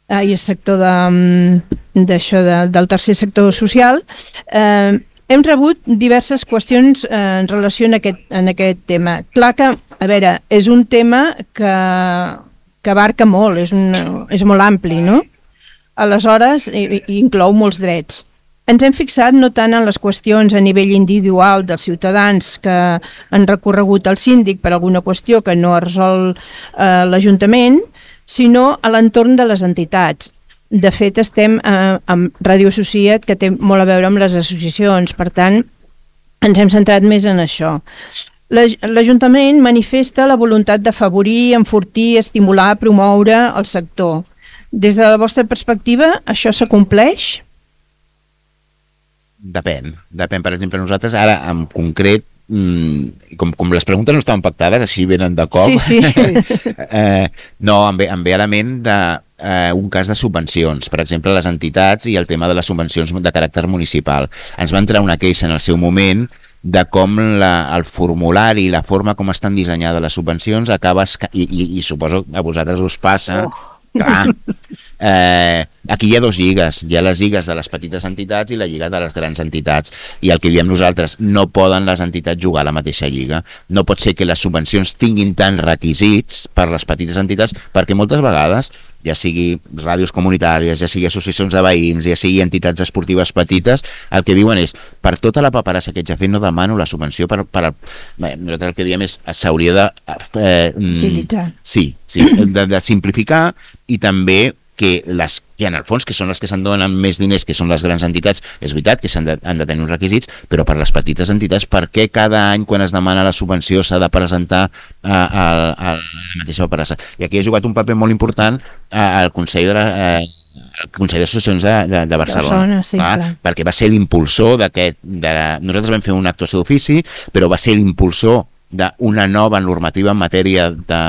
eh, i el sector de, d'això de, del tercer sector social. Eh, hem rebut diverses qüestions eh, en relació en aquest, en aquest tema. Clar que, a veure, és un tema que, que abarca molt, és, un, és molt ampli, no? Aleshores, i, i inclou molts drets. Ens hem fixat no tant en les qüestions a nivell individual dels ciutadans que han recorregut al síndic per alguna qüestió que no ha resolt eh, l'Ajuntament, sinó a l'entorn de les entitats. De fet, estem eh, amb Ràdio Associat, que té molt a veure amb les associacions, per tant, ens hem centrat més en això. L'Ajuntament manifesta la voluntat d'afavorir, enfortir, estimular, promoure el sector. Des de la vostra perspectiva, això s'acompleix? Depèn, depèn. Per exemple, nosaltres ara, en concret, mmm, com, com les preguntes no estaven pactades, així venen de cop, sí, sí. eh, no, em ve, em ve a la ment de, eh, un cas de subvencions, per exemple, les entitats i el tema de les subvencions de caràcter municipal. Ens va entrar una queixa en el seu moment de com la, el formulari i la forma com estan dissenyades les subvencions acaba, i, i, i suposo a vosaltres us passa, oh. Clar, eh, aquí hi ha dos lligues, hi ha les lligues de les petites entitats i la lliga de les grans entitats, i el que diem nosaltres, no poden les entitats jugar a la mateixa lliga. No pot ser que les subvencions tinguin tants requisits per les petites entitats, perquè moltes vegades, ja sigui ràdios comunitàries, ja sigui associacions de veïns, ja sigui entitats esportives petites, el que diuen és, per tota la paperassa que ets ja fet, no demano la subvenció per... per bé, nosaltres el que diem és, s'hauria de... Eh, Agilitzar. Sí, sí, de, de simplificar, i també que les que en el fons, que són les que se'n donen més diners, que són les grans entitats, és veritat que s'han de, han de tenir uns requisits, però per les petites entitats, per què cada any quan es demana la subvenció s'ha de presentar a, a, a la mateixa paperassa? I aquí ha jugat un paper molt important al Consell de la... Eh, el Consell d'Associacions de, de, de Barcelona, sí, clar, clar. Perquè va ser l'impulsor d'aquest... De... Nosaltres vam fer una actuació d'ofici, però va ser l'impulsor d'una nova normativa en matèria de,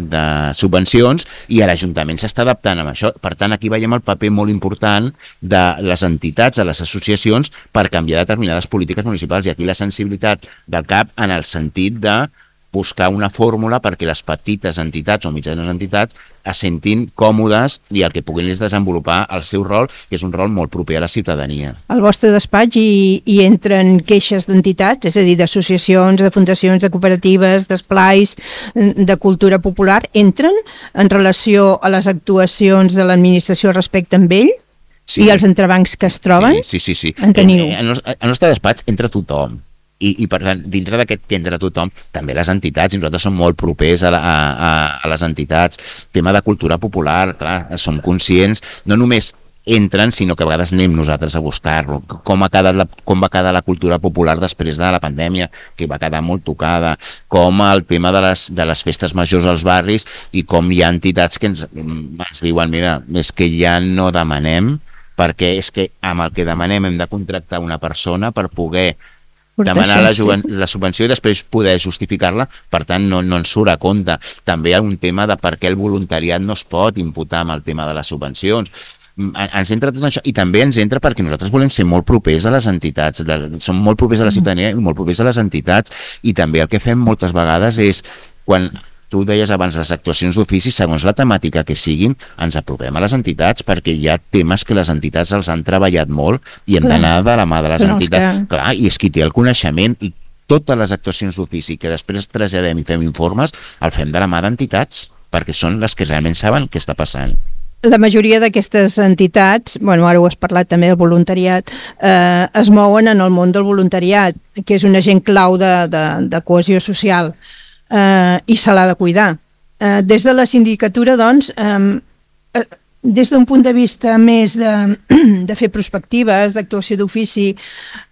de subvencions, i l'Ajuntament s'està adaptant amb això. Per tant, aquí veiem el paper molt important de les entitats, de les associacions, per canviar determinades polítiques municipals, i aquí la sensibilitat del C A P en el sentit de buscar una fórmula perquè les petites entitats o mitjanes entitats es sentin còmodes i el que puguin és desenvolupar el seu rol, que és un rol molt proper a la ciutadania. Al vostre despatx hi, hi entren queixes d'entitats, és a dir, d'associacions, de fundacions, de cooperatives, d'esplais, de cultura popular, entren en relació a les actuacions de l'administració respecte amb ells? Sí. I els entrebancs que es troben? Sí, sí, sí. sí. En teniu? En el nostre despatx entra tothom. I, i per tant, dintre d'aquest que entra tothom, també les entitats, i nosaltres som molt propers a, la, a, a les entitats. Tema de cultura popular, clar, som conscients, no només entren, sinó que a vegades anem nosaltres a buscar-lo. Com, ha quedat la, com va quedar la cultura popular després de la pandèmia, que va quedar molt tocada, com el tema de les, de les festes majors als barris i com hi ha entitats que ens, ens diuen, mira, és que ja no demanem, perquè és que amb el que demanem hem de contractar una persona per poder demanar la, la subvenció i després poder justificar-la, per tant no, no ens surt a compte. També hi ha un tema de per què el voluntariat no es pot imputar amb el tema de les subvencions. Ens entra tot això i també ens entra perquè nosaltres volem ser molt propers a les entitats, som molt propers a la ciutadania i molt propers a les entitats, i també el que fem moltes vegades és, quan tu deies abans les actuacions d'ofici, segons la temàtica que siguin, ens apropem a les entitats, perquè hi ha temes que les entitats els han treballat molt i hem d'anar de la mà de les entitats. Que... Clar, i és qui té el coneixement, i totes les actuacions d'ofici que després traslladem i fem informes, el fem de la mà d'entitats, perquè són les que realment saben què està passant. La majoria d'aquestes entitats, bueno, ara ho has parlat també del voluntariat, eh, es mouen en el món del voluntariat, que és un agent clau de, de, de cohesió social, eh, i se l'ha de cuidar. Eh, des de la sindicatura, doncs, eh, des d'un punt de vista més de, de fer prospectives, d'actuació d'ofici,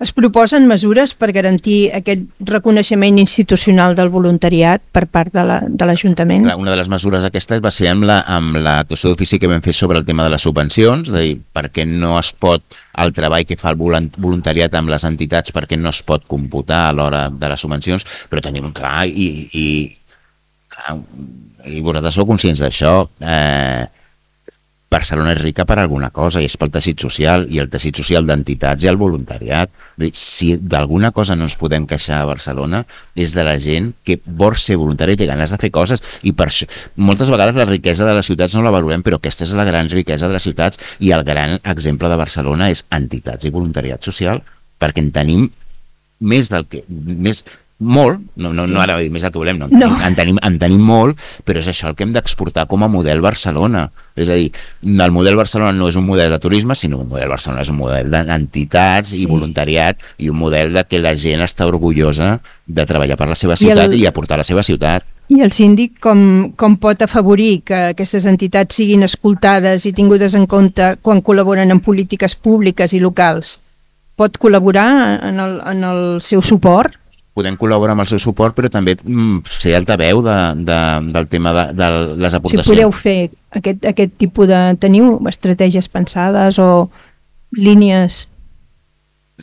es proposen mesures per garantir aquest reconeixement institucional del voluntariat per part de l'Ajuntament? La, una de les mesures aquestes va ser amb la, amb l'actuació d'ofici que vam fer sobre el tema de les subvencions, és a dir, perquè no es pot, el treball que fa el voluntariat amb les entitats, perquè no es pot computar a l'hora de les subvencions, però tenim clar, i, i, clar, i vosaltres sou conscients d'això, eh, Barcelona és rica per alguna cosa, i és pel teixit social, i el teixit social d'entitats i el voluntariat. Si d'alguna cosa no ens podem queixar a Barcelona és de la gent que vol ser voluntària i té ganes de fer coses, i per això moltes vegades la riquesa de les ciutats no la valorem, però aquesta és la gran riquesa de les ciutats, i el gran exemple de Barcelona és entitats i voluntariat social, perquè en tenim més del que... més molt, no, no, sí. no ara més del que volem, no, en, no. Tenim, en, tenim, en tenim molt, però és això el que hem d'exportar com a model Barcelona. És a dir, el model Barcelona no és un model de turisme, sinó un model Barcelona és un model d'entitats sí. i voluntariat, i un model de que la gent està orgullosa de treballar per la seva ciutat i, el... i aportar la seva ciutat. I el síndic com, com pot afavorir que aquestes entitats siguin escoltades i tingudes en compte quan col·laboren en polítiques públiques i locals? Pot col·laborar en el, en el seu suport? Podem col·laborar amb el seu suport, però també mm, ser altaveu de, de, del tema de, de les aportacions. Si podeu fer aquest, aquest tipus de... Teniu estratègies pensades o línies?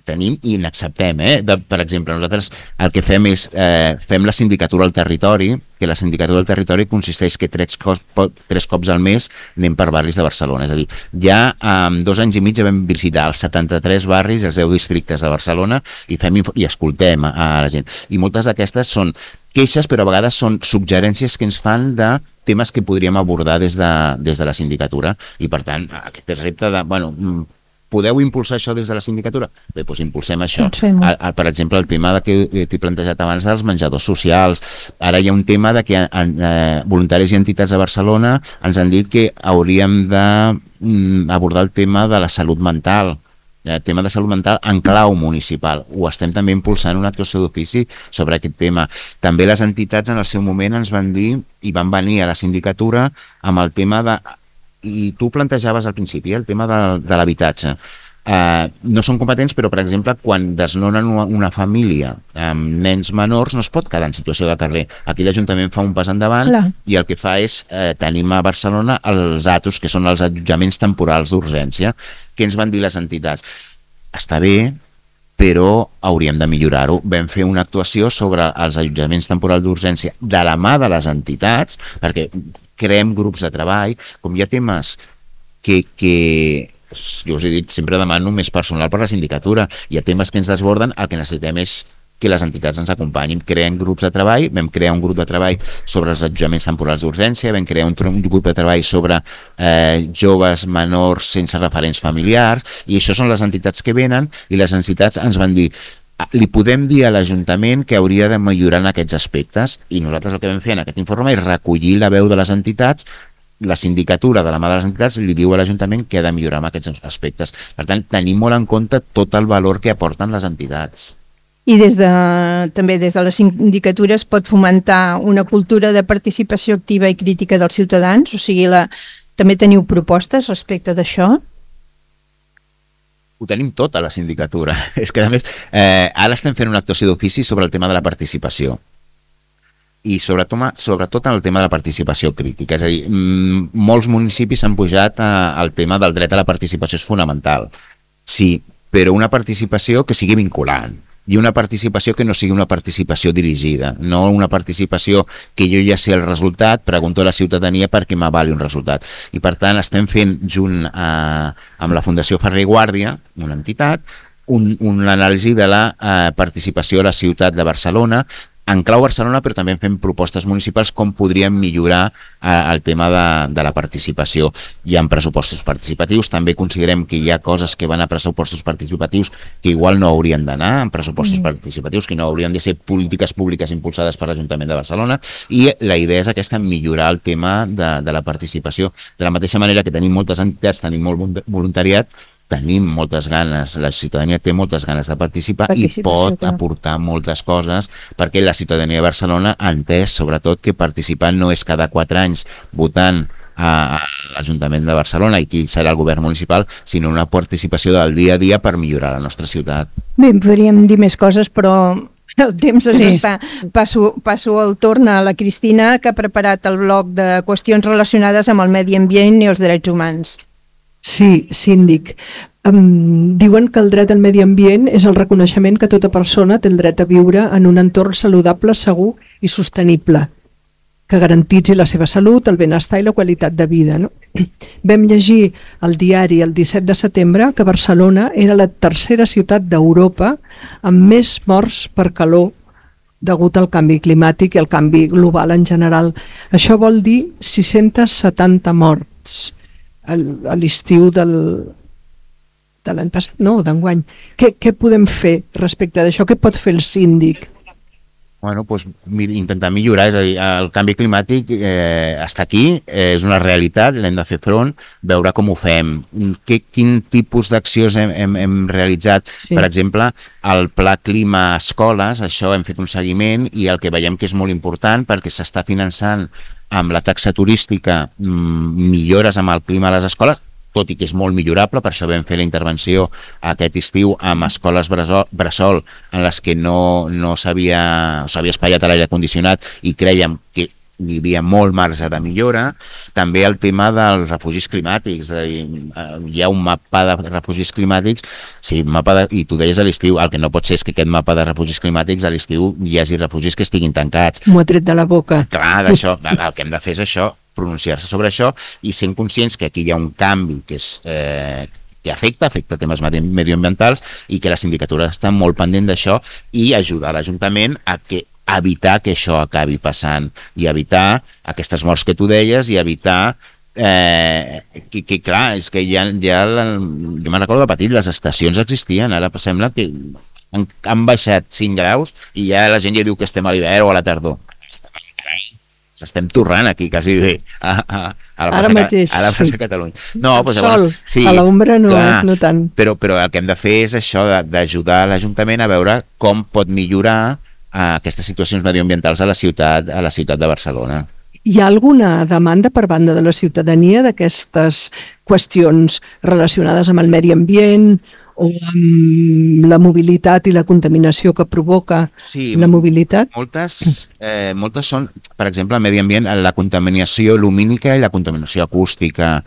Tenim i n'acceptem, eh? De, per exemple, nosaltres el que fem és eh, fem la sindicatura al territori, que la sindicatura al territori consisteix que tres cops, tres cops al mes anem per barris de Barcelona. És a dir, ja en dos anys i mig vam visitar els setanta-tres barris, els deu districtes de Barcelona, i fem i escoltem a, a la gent. I moltes d'aquestes són queixes, però a vegades són suggerències que ens fan de temes que podríem abordar des de, des de la sindicatura. I per tant, aquest repte de... Bueno, podeu impulsar això des de la sindicatura? Bé, doncs impulsem això. El, el, per exemple, el tema de que t'he plantejat abans dels menjadors socials. Ara hi ha un tema de que en, eh, voluntaris i entitats de Barcelona ens han dit que hauríem d'abordar el tema de la salut mental, el tema de salut mental en clau municipal. Ho estem també impulsant una actuació d'ofici sobre aquest tema. També les entitats en el seu moment ens van dir i van venir a la sindicatura amb el tema de... I tu plantejaves al principi el tema de, de l'habitatge. Uh, no són competents, però, per exemple, quan desnonen una, una família amb nens menors, no es pot quedar en situació de carrer. Aquí l'Ajuntament fa un pas endavant Clar. I el que fa és, eh, tenim a Barcelona els A T Us, que són els allotjaments temporals d'urgència, que ens van dir les entitats. Està bé, però hauríem de millorar-ho. Vam fer una actuació sobre els allotjaments temporals d'urgència de la mà de les entitats, perquè creem grups de treball, com hi ha temes que, que jo us he dit, sempre demano més personal per la sindicatura, hi ha temes que ens desborden, el que necessitem és que les entitats ens acompanyin. Creem grups de treball, vam crear un grup de treball sobre els allotjaments temporals d'urgència, vam crear un, un grup de treball sobre eh, joves menors sense referents familiars, i això són les entitats que venen, i les entitats ens van dir li podem dir a l'Ajuntament que hauria de millorar en aquests aspectes, i nosaltres el que vam fer en aquest informe és recollir la veu de les entitats. La sindicatura de la mà de les entitats li diu a l'Ajuntament que ha de millorar en aquests aspectes. Per tant, tenim molt en compte tot el valor que aporten les entitats. I des de, també des de la sindicatura es pot fomentar una cultura de participació activa i crítica dels ciutadans? O sigui, la, també teniu propostes respecte d'això? ho tenim tot a la sindicatura. És que, a més, eh, ara estem fent una actuació d'ofici sobre el tema de la participació. I sobretot, sobretot en el tema de la participació crítica. És a dir, molts municipis han pujat al tema del dret a la participació, és fonamental. Sí, però una participació que sigui vinculant. I una participació que no sigui una participació dirigida, no una participació que jo ja sé el resultat, pregunto a la ciutadania perquè m'avali un resultat. I per tant estem fent junt a, amb la Fundació Ferrer i Guàrdia, una entitat, un, una anàlisi de la eh, participació a la ciutat de Barcelona, en clau Barcelona, però també fem propostes municipals com podríem millorar eh, el tema de, de la participació. Hi ha pressupostos participatius, també considerem que hi ha coses que van a pressupostos participatius que igual no haurien d'anar en pressupostos mm. participatius, que no haurien de ser polítiques públiques impulsades per l'Ajuntament de Barcelona, i la idea és aquesta, millorar el tema de, de la participació. De la mateixa manera que tenim moltes entitats, tenim molt voluntariat, tenim moltes ganes, la ciutadania té moltes ganes de participar i pot clar. aportar moltes coses, perquè la ciutadania de Barcelona ha entès, sobretot, que participar no és cada quatre anys votant a l'Ajuntament de Barcelona i qui serà el govern municipal, sinó una participació del dia a dia per millorar la nostra ciutat. Bé, podríem dir més coses, però el temps ens sí. està. Passo, passo el torn a la Cristina, que ha preparat el bloc de qüestions relacionades amb el medi ambient i els drets humans. Sí, síndic. Um, diuen que el dret al medi ambient és el reconeixement que tota persona té el dret a viure en un entorn saludable, segur i sostenible, que garantitzi la seva salut, el benestar i la qualitat de vida. No? Vam llegir al diari el disset de setembre que Barcelona era la tercera ciutat d'Europa amb més morts per calor degut al canvi climàtic i al canvi global en general. Això vol dir sis-centes setanta morts a l'estiu del, de l'any passat, no, d'enguany. Què, què podem fer respecte d'això? Què pot fer el síndic? Bueno, doncs intentar millorar, és a dir, el canvi climàtic eh, està aquí, eh, és una realitat, l'hem de fer front, veure com ho fem, que, quin tipus d'accions hem, hem, hem realitzat. Sí. Per exemple, el Pla Clima a Escoles, això hem fet un seguiment i el que veiem que és molt important perquè s'està finançant amb la taxa turística millores amb el clima a les escoles, tot i que és molt millorable, per això vam fer la intervenció aquest estiu amb escoles bressol en les que no, no s'havia espatllat a l'aire condicionat i crèiem que hi havia molt marge de millora. També el tema dels refugis climàtics, és a dir, hi ha un mapa de refugis climàtics, sí, mapa de, i tu deies a l'estiu, el que no pot ser és que aquest mapa de refugis climàtics a l'estiu hi hagi refugis que estiguin tancats. M'ho ha tret de la boca. Clar, d'això, el que hem de fer és això, pronunciar-se sobre això i sent conscients que aquí hi ha un canvi que és... Eh, que afecta, afecta temes medioambientals i que la sindicatura està molt pendent d'això i ajudar l'Ajuntament a que evitar que això acabi passant i evitar aquestes morts que tu deies i evitar eh, que, que clar, és que ja, ja jo me'n recordo de petit, les estacions existien, ara sembla que han, han baixat cinc graus i ja la gent ja diu que estem a l'hivern o a la tardor. Estem torrant aquí, quasi bé, a, a, a la plaça, mateix, a la plaça sí. Catalunya. No, el doncs, sol, llavors, sí, a l'ombra no, no tant. Però, però el que hem de fer és això, d'ajudar l'Ajuntament a veure com pot millorar a aquestes situacions medioambientals a la ciutat, a la ciutat de Barcelona. Hi ha alguna demanda per banda de la ciutadania d'aquestes qüestions relacionades amb el medi ambient o amb la mobilitat i la contaminació que provoca sí, la mobilitat? Moltes, eh, moltes són, per exemple, el medi ambient, la contaminació lumínica i la contaminació acústica.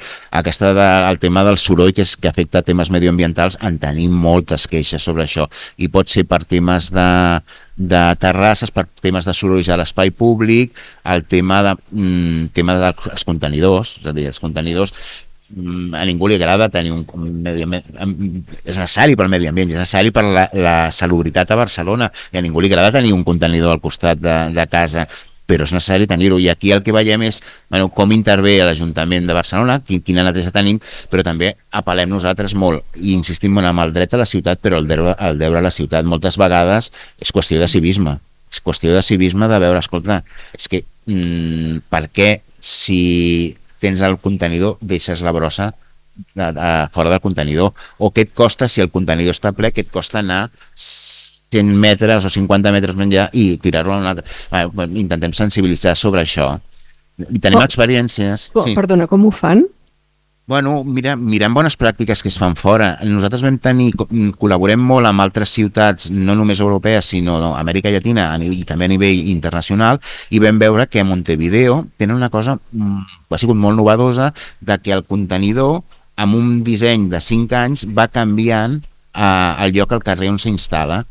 Aquesta de, el tema del soroll que, és, que afecta temes medioambientals, en tenim moltes queixes sobre això. I pot ser per temes de, de terrasses, per temes de sorolls a l'espai públic, el tema, de, mm, tema dels contenidors, és a dir, els contenidors a ningú li agrada tenir un, un medi ambient, és necessari pel medi ambient, és necessari per la, la salubritat a Barcelona i a ningú li agrada tenir un contenidor al costat de, de casa, però és necessari tenir-ho i aquí el que veiem és bueno, com intervé l'Ajuntament de Barcelona, quin, quina neteja tenim, però també apel·lem nosaltres molt i insistim en el dret a la ciutat, però el deure, el deure a la ciutat moltes vegades és qüestió de civisme, és qüestió de civisme de veure, escolta, és que mmm, per què si tens el contenidor, deixes la brossa de, de, fora del contenidor, o què et costa si el contenidor està ple, què et costa anar cent metres o cinquanta metres més enllà i tirar-lo a un altre. Bueno, intentem sensibilitzar sobre això. I tenim oh, experiències. Oh, sí. Perdona, com ho fan? Bueno, mira, mirant bones pràctiques que es fan fora. Nosaltres vam tenir, col·laborem molt amb altres ciutats, no només europees, sinó Amèrica Llatina i també a nivell internacional, i vam veure que a Montevideo tenen una cosa, ha sigut molt novedosa, de que el contenidor, amb un disseny de cinc anys, va canviant eh, el lloc al carrer on s'instal·la.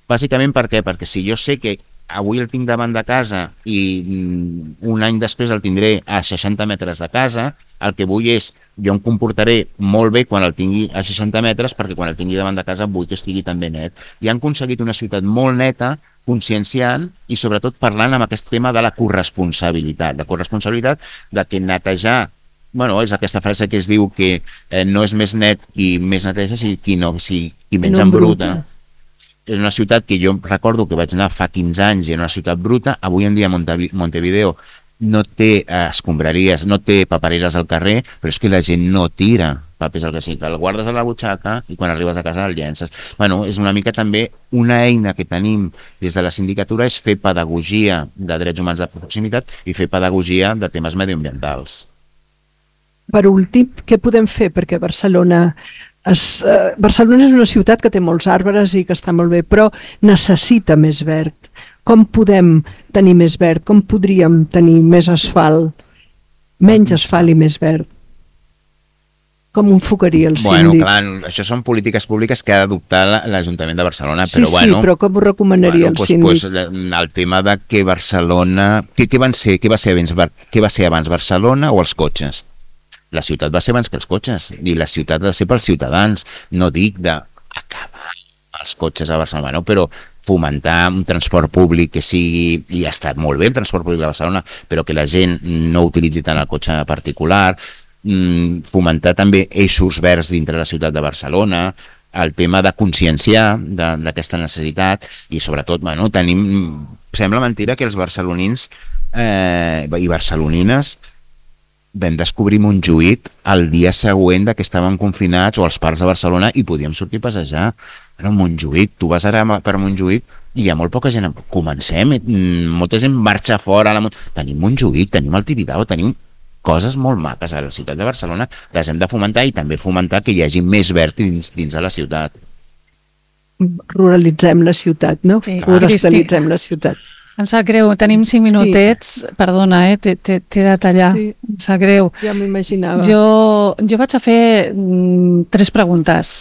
Bàsicament per què? Perquè si jo sé que avui el tinc davant de casa i un any després el tindré a seixanta metres de casa, el que vull és, jo em comportaré molt bé quan el tingui a seixanta metres, perquè quan el tingui davant de casa vull que estigui també net. I han aconseguit una ciutat molt neta, conscienciant i sobretot parlant amb aquest tema de la corresponsabilitat, de corresponsabilitat de que netejar, bueno, és aquesta frase que es diu que eh, no és més net i més neteja si qui, no, si, qui menys no embruta. És una ciutat que jo recordo que vaig anar fa quinze anys i era una ciutat bruta. Avui en dia Montevideo no té eh, escombraries, no té papereres al carrer, però és que la gent no tira papers al carrer, el guardes a la butxaca i quan arribes a casa el llences. Bueno, és una mica també una eina que tenim des de la sindicatura, és fer pedagogia de drets humans de proximitat i fer pedagogia de temes medioambientals. Per últim, què podem fer perquè Barcelona... Es, uh, Barcelona és una ciutat que té molts arbres i que està molt bé, però necessita més verd. Com podem tenir més verd? Com podríem tenir més asfalt? Menys asfalt i més verd? Com ho enfocaria el síndic? Bueno, clar, això són polítiques públiques que ha d'adoptar l'Ajuntament de Barcelona, sí, però sí, bueno... Sí, però com ho recomanaria bueno, el pues, síndic? Pues, el tema de que Barcelona... Què, què, van ser, què, va ser abans, què va ser abans, Barcelona o els cotxes? La ciutat va ser abans que els cotxes i la ciutat ha de ser pels ciutadans. No dic d'acabar els cotxes a Barcelona, no? Però fomentar un transport públic que sigui, i ha estat molt bé el transport públic de Barcelona, però que la gent no utilitzi tant el cotxe particular, fomentar també eixos verds dintre la ciutat de Barcelona, el tema de conscienciar d'aquesta necessitat i sobretot, bueno, tenim, sembla mentira que els barcelonins eh, i barcelonines vam descobrir Montjuïc el dia següent de que estàvem confinats o als parcs de Barcelona i podíem sortir a passejar. Però Montjuïc, tu vas ara per Montjuïc i hi ha molt poca gent. Comencem, molta gent marxa fora. La... Tenim Montjuïc, tenim el Tibidabo, tenim coses molt maques a la ciutat de Barcelona, les hem de fomentar i també fomentar que hi hagi més verd dins, dins de la ciutat. Ruralitzem la ciutat, no? Sí. Forestalitzem la ciutat. Em sap greu, tenim cinc minutets, sí. Perdona, eh, t'he de tallar, sí. Em sap greu. Ja m'imaginava. Jo, jo vaig a fer mm, tres preguntes.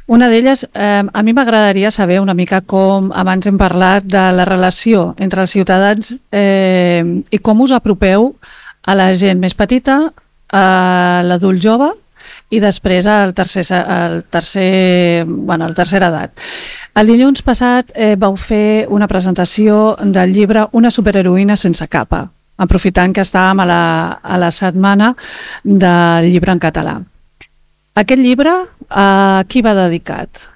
Una d'elles, eh, a mi m'agradaria saber una mica com, abans hem parlat de la relació entre els ciutadans eh, i com us apropeu a la gent més petita, a l'adult jove i després al tercer, al tercer, bueno, al tercera edat. El dilluns passat eh, vau fer una presentació del llibre Una superheroïna sense capa, aprofitant que estàvem a la, a la setmana del llibre en català. Aquest llibre a qui va dedicat?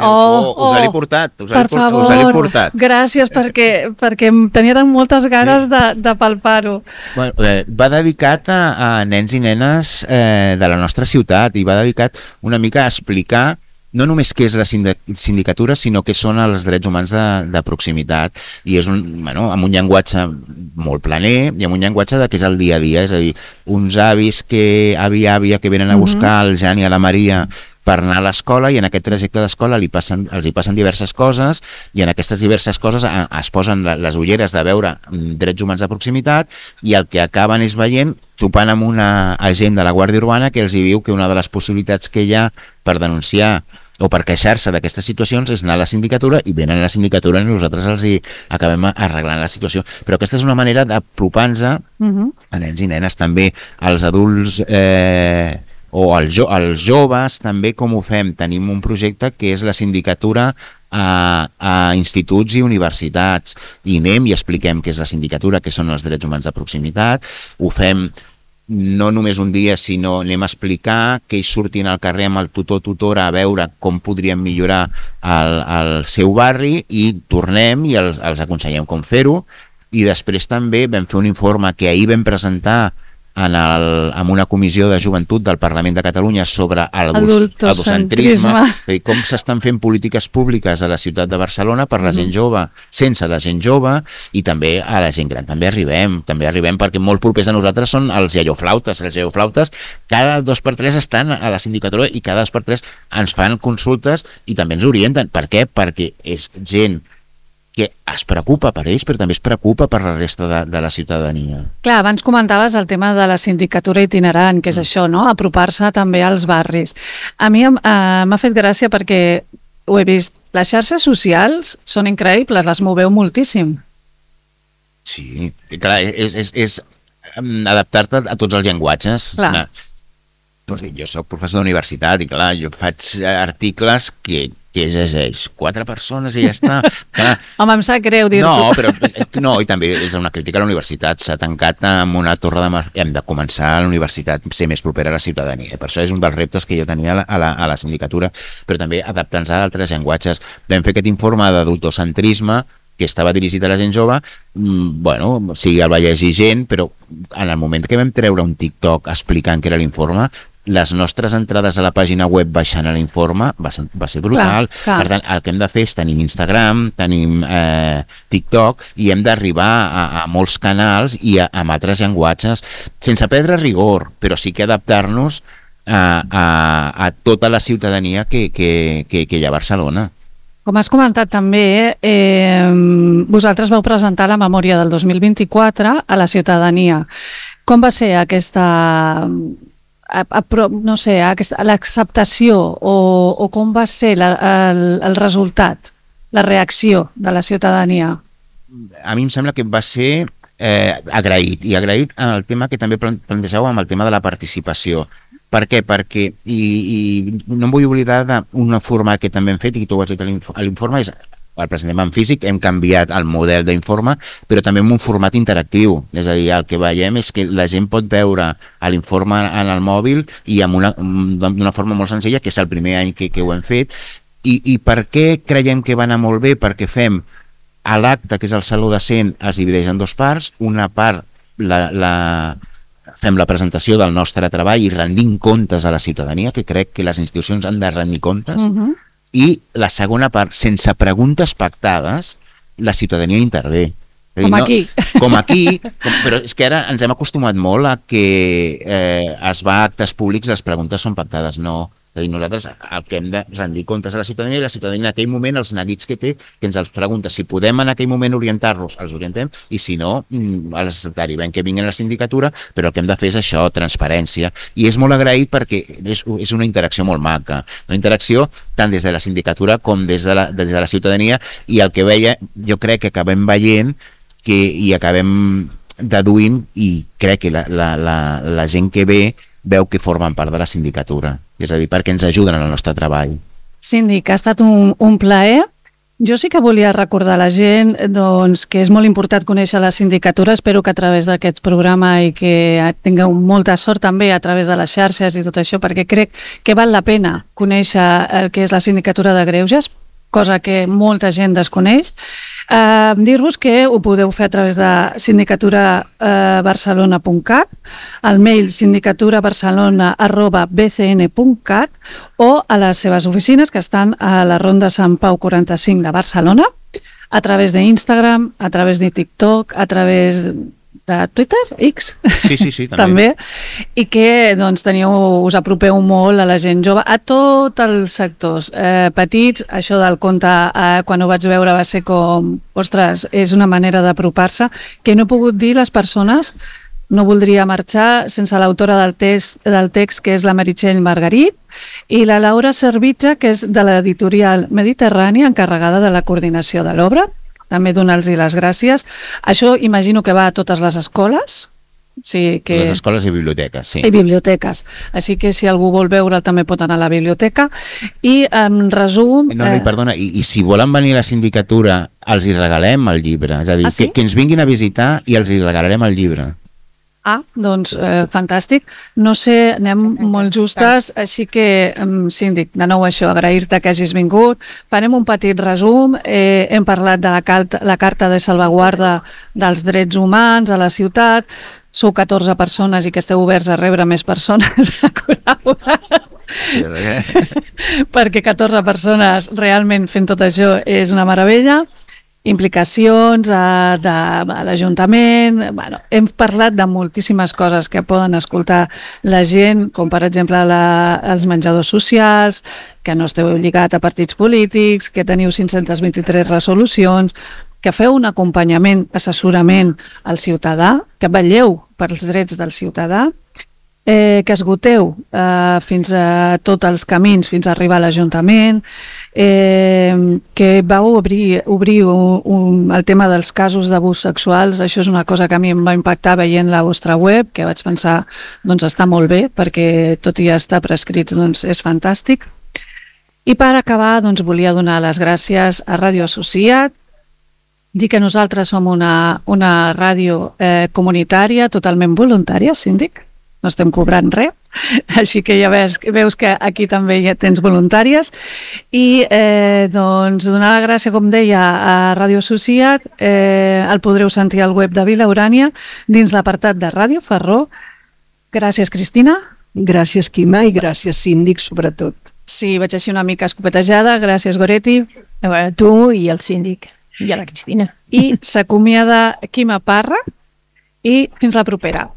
Oh, oh, us l'he portat, us l'he portat, us l'he portat. Gràcies perquè, perquè tenia tan moltes ganes de, de palpar-ho. Bueno, eh, va dedicat a, a nens i nenes eh, de la nostra ciutat i va dedicat una mica a explicar no només què és la sindicatura, sinó què són els drets humans de, de proximitat. I és un, bueno, amb un llenguatge molt planer i amb un llenguatge de què és el dia a dia, és a dir, uns avis que, avi àvia que venen a buscar el Jan i a la Maria per anar a l'escola i en aquest trajecte d'escola li passen, els hi passen diverses coses i en aquestes diverses coses es posen les ulleres de veure drets humans de proximitat i el que acaben és veient, topant amb una agent de la Guàrdia Urbana que els hi diu que una de les possibilitats que hi ha per denunciar o per queixar-se d'aquestes situacions és anar a la sindicatura i venen a la sindicatura i nosaltres els hi acabem arreglant la situació. Però aquesta és una manera d'apropar-nos uh-huh. a nens i nenes, també als adults eh, o als, jo, als joves, també com ho fem. Tenim un projecte que és la sindicatura a, a instituts i universitats i anem i expliquem què és la sindicatura, què són els drets humans de proximitat, ho fem no només un dia, sinó anem a explicar que ells surtin al carrer amb el tutor tutora a veure com podríem millorar el, el seu barri i tornem i els, els aconsellem com fer-ho. I després també vam fer un informe que ahir vam presentar en, el, en una comissió de joventut del Parlament de Catalunya sobre el adultocentrisme, Adultocentrisme. com s'estan fent polítiques públiques a la ciutat de Barcelona per la gent jove, sense la gent jove, i també a la gent gran. També arribem, també arribem perquè molt propers a nosaltres són els iaioflautes. Els iaioflautes cada dos per tres estan a la sindicatura i cada dos per tres ens fan consultes i també ens orienten. Per què? Perquè és gent que es preocupa per ells, però també es preocupa per la resta de, de la ciutadania. Clar, abans comentaves el tema de la sindicatura itinerant, que és això, no? Apropar-se també als barris. A mi eh, m'ha fet gràcia perquè ho he vist. Les xarxes socials són increïbles, les moveu moltíssim. Sí, clar, és, és, és adaptar-te a tots els llenguatges. Clar. Tu has dit, jo soc professor d'universitat i clar, jo faig articles que que llegeix quatre persones i ja està. Clar. Home, em sap greu dir-t'ho. No, però no, i també és una crítica a la universitat. S'ha tancat amb una torre de mar... Hem de començar a la universitat ser més propera a la ciutadania. Per això és un dels reptes que jo tenia a la, a la, a la sindicatura, però també adaptant-se a altres llenguatges. Vam fer aquest informe d'adultocentrisme que estava dirigit a la gent jove, bueno, sí, el va llegir gent, però en el moment que vam treure un TikTok explicant què era l'informe, les nostres entrades a la pàgina web baixant a l'informe va ser, va ser brutal. Clar, clar. Per tant, el que hem de fer és tenim Instagram, tenim eh, TikTok i hem d'arribar a, a molts canals i a, a altres llenguatges sense perdre rigor, però sí que adaptar-nos a, a, a tota la ciutadania que, que, que, que hi ha a Barcelona. Com has comentat també, eh, vosaltres vau presentar la memòria del dos mil vint-i-quatre a la ciutadania. Com va ser aquesta... A, a, no sé, l'acceptació o, o com va ser la, el, el resultat, la reacció de la ciutadania? A mi em sembla que va ser eh, agraït, i agraït en el tema que també plantejàveu amb el tema de la participació. Per què? Perquè, i, i no em vull oblidar d'un format que també hem fet i que tu ho has dit a l'informe, és el presentem en físic, hem canviat el model d'informe, però també en un format interactiu. És a dir, el que veiem és que la gent pot veure l'informe en el mòbil i d'una forma molt senzilla, que és el primer any que, que ho hem fet. I, I per què creiem que va anar molt bé? Perquè fem a l'acte, que és el Saló de cent, es divideix en dues parts. Una part la, la, fem la presentació del nostre treball i rendim comptes a la ciutadania, que crec que les institucions han de rendir comptes. Uh-huh. I la segona part, sense preguntes pactades, la ciutadania intervé. Com no, aquí. Com aquí, com, però és que ara ens hem acostumat molt a que eh, es va a actes públics, les preguntes són pactades. No, és a dir, nosaltres el que hem de rendir comptes a la ciutadania, i la ciutadania en aquell moment, els neguits que té, que ens els pregunta. Si podem en aquell moment orientar-los, els orientem, i si no, els derivem que vinguin a la sindicatura, però el que hem de fer és això, transparència. I és molt agraït perquè és, és una interacció molt maca. Una interacció tant des de la sindicatura com des de la, des de la ciutadania, i el que veia, jo crec que acabem veient que i acabem deduint, i crec que la, la, la, la gent que ve veu que formen part de la sindicatura, és a dir, perquè ens ajuden en el nostre treball. Síndic, ha estat un, un plaer. Jo sí que volia recordar a la gent doncs, que és molt important conèixer la sindicatura. Espero que a través d'aquest programa i que tingueu molta sort també a través de les xarxes i tot això, perquè crec que val la pena conèixer el que és la sindicatura de greuges, cosa que molta gent desconeix. Eh, dir-vos que ho podeu fer a través de sindicatura barcelona punt cat, al mail sindicaturabarcelona arroba b c n punt cat o a les seves oficines que estan a la Ronda Sant Pau quaranta-cinc de Barcelona, a través d'Instagram, a través de TikTok, a través de Twitter, X, sí, sí, sí, també. també, i que doncs, teniu, us apropeu molt a la gent jove, a tots els sectors eh, petits. Això del conte, eh, quan ho vaig veure va ser com, ostres, és una manera d'apropar-se, que no he pogut dir les persones. No voldria marxar sense l'autora del text, del text, que és la Meritxell Margarit, i la Laura Servitja, que és de l'editorial Mediterrània, encarregada de la coordinació de l'obra. També donar-los les gràcies. Això imagino que va a totes les escoles. Sí, que... Les escoles i biblioteques, sí. I biblioteques. Així que si algú vol veure també pot anar a la biblioteca. I en resum... No, no, i perdona, i, i si volen venir a la sindicatura, els hi regalem el llibre. És a dir, ah, sí? que, que ens vinguin a visitar i els hi regalarem el llibre. Ah, doncs eh, fantàstic. No sé, anem molt justes, així que, eh, síndic, de nou això, agrair-te que hagis vingut. Farem un petit resum. Eh, hem parlat de la, carta, la Carta de Salvaguarda dels Drets Humans a la ciutat. sou catorze persones i que esteu oberts a rebre més persones a col·laborar. Sí, eh? Perquè catorze persones realment fent tot això és una meravella. Implicacions a, de, a l'Ajuntament. Bueno, hem parlat de moltíssimes coses que poden escoltar la gent, com per exemple la, els menjadors socials, que no esteu lligats a partits polítics, que teniu cinc-centes vint-i-tres resolucions, que feu un acompanyament, assessorament al ciutadà, que vetlleu pels drets del ciutadà, eh, que esgoteu eh, fins a tots els camins, fins a arribar a l'Ajuntament, eh, que vau obrir, obrir un, un, el tema dels casos d'abús sexuals. Això és una cosa que a mi em va impactar veient la vostra web, que vaig pensar, doncs està molt bé, perquè tot i estar prescrits, doncs és fantàstic. I per acabar, doncs volia donar les gràcies a Ràdio Associat, dir que nosaltres som una, una ràdio eh, comunitària, totalment voluntària, síndic, no estem cobrant res, així que ja veus, veus que aquí també ja tens voluntàries, i eh, doncs donar la gràcia, com deia, a Ràdio Associat, eh, el podreu sentir al web de Vila Urània, dins l'apartat de Ràdio Ferró. Gràcies, Cristina. Gràcies, Quima, i gràcies, síndic, sobretot. Sí, vaig així una mica escopetejada. Gràcies, Goretti. Eh, tu i el síndic. I a la Cristina. I s'acomiada Quima Parra i fins la propera.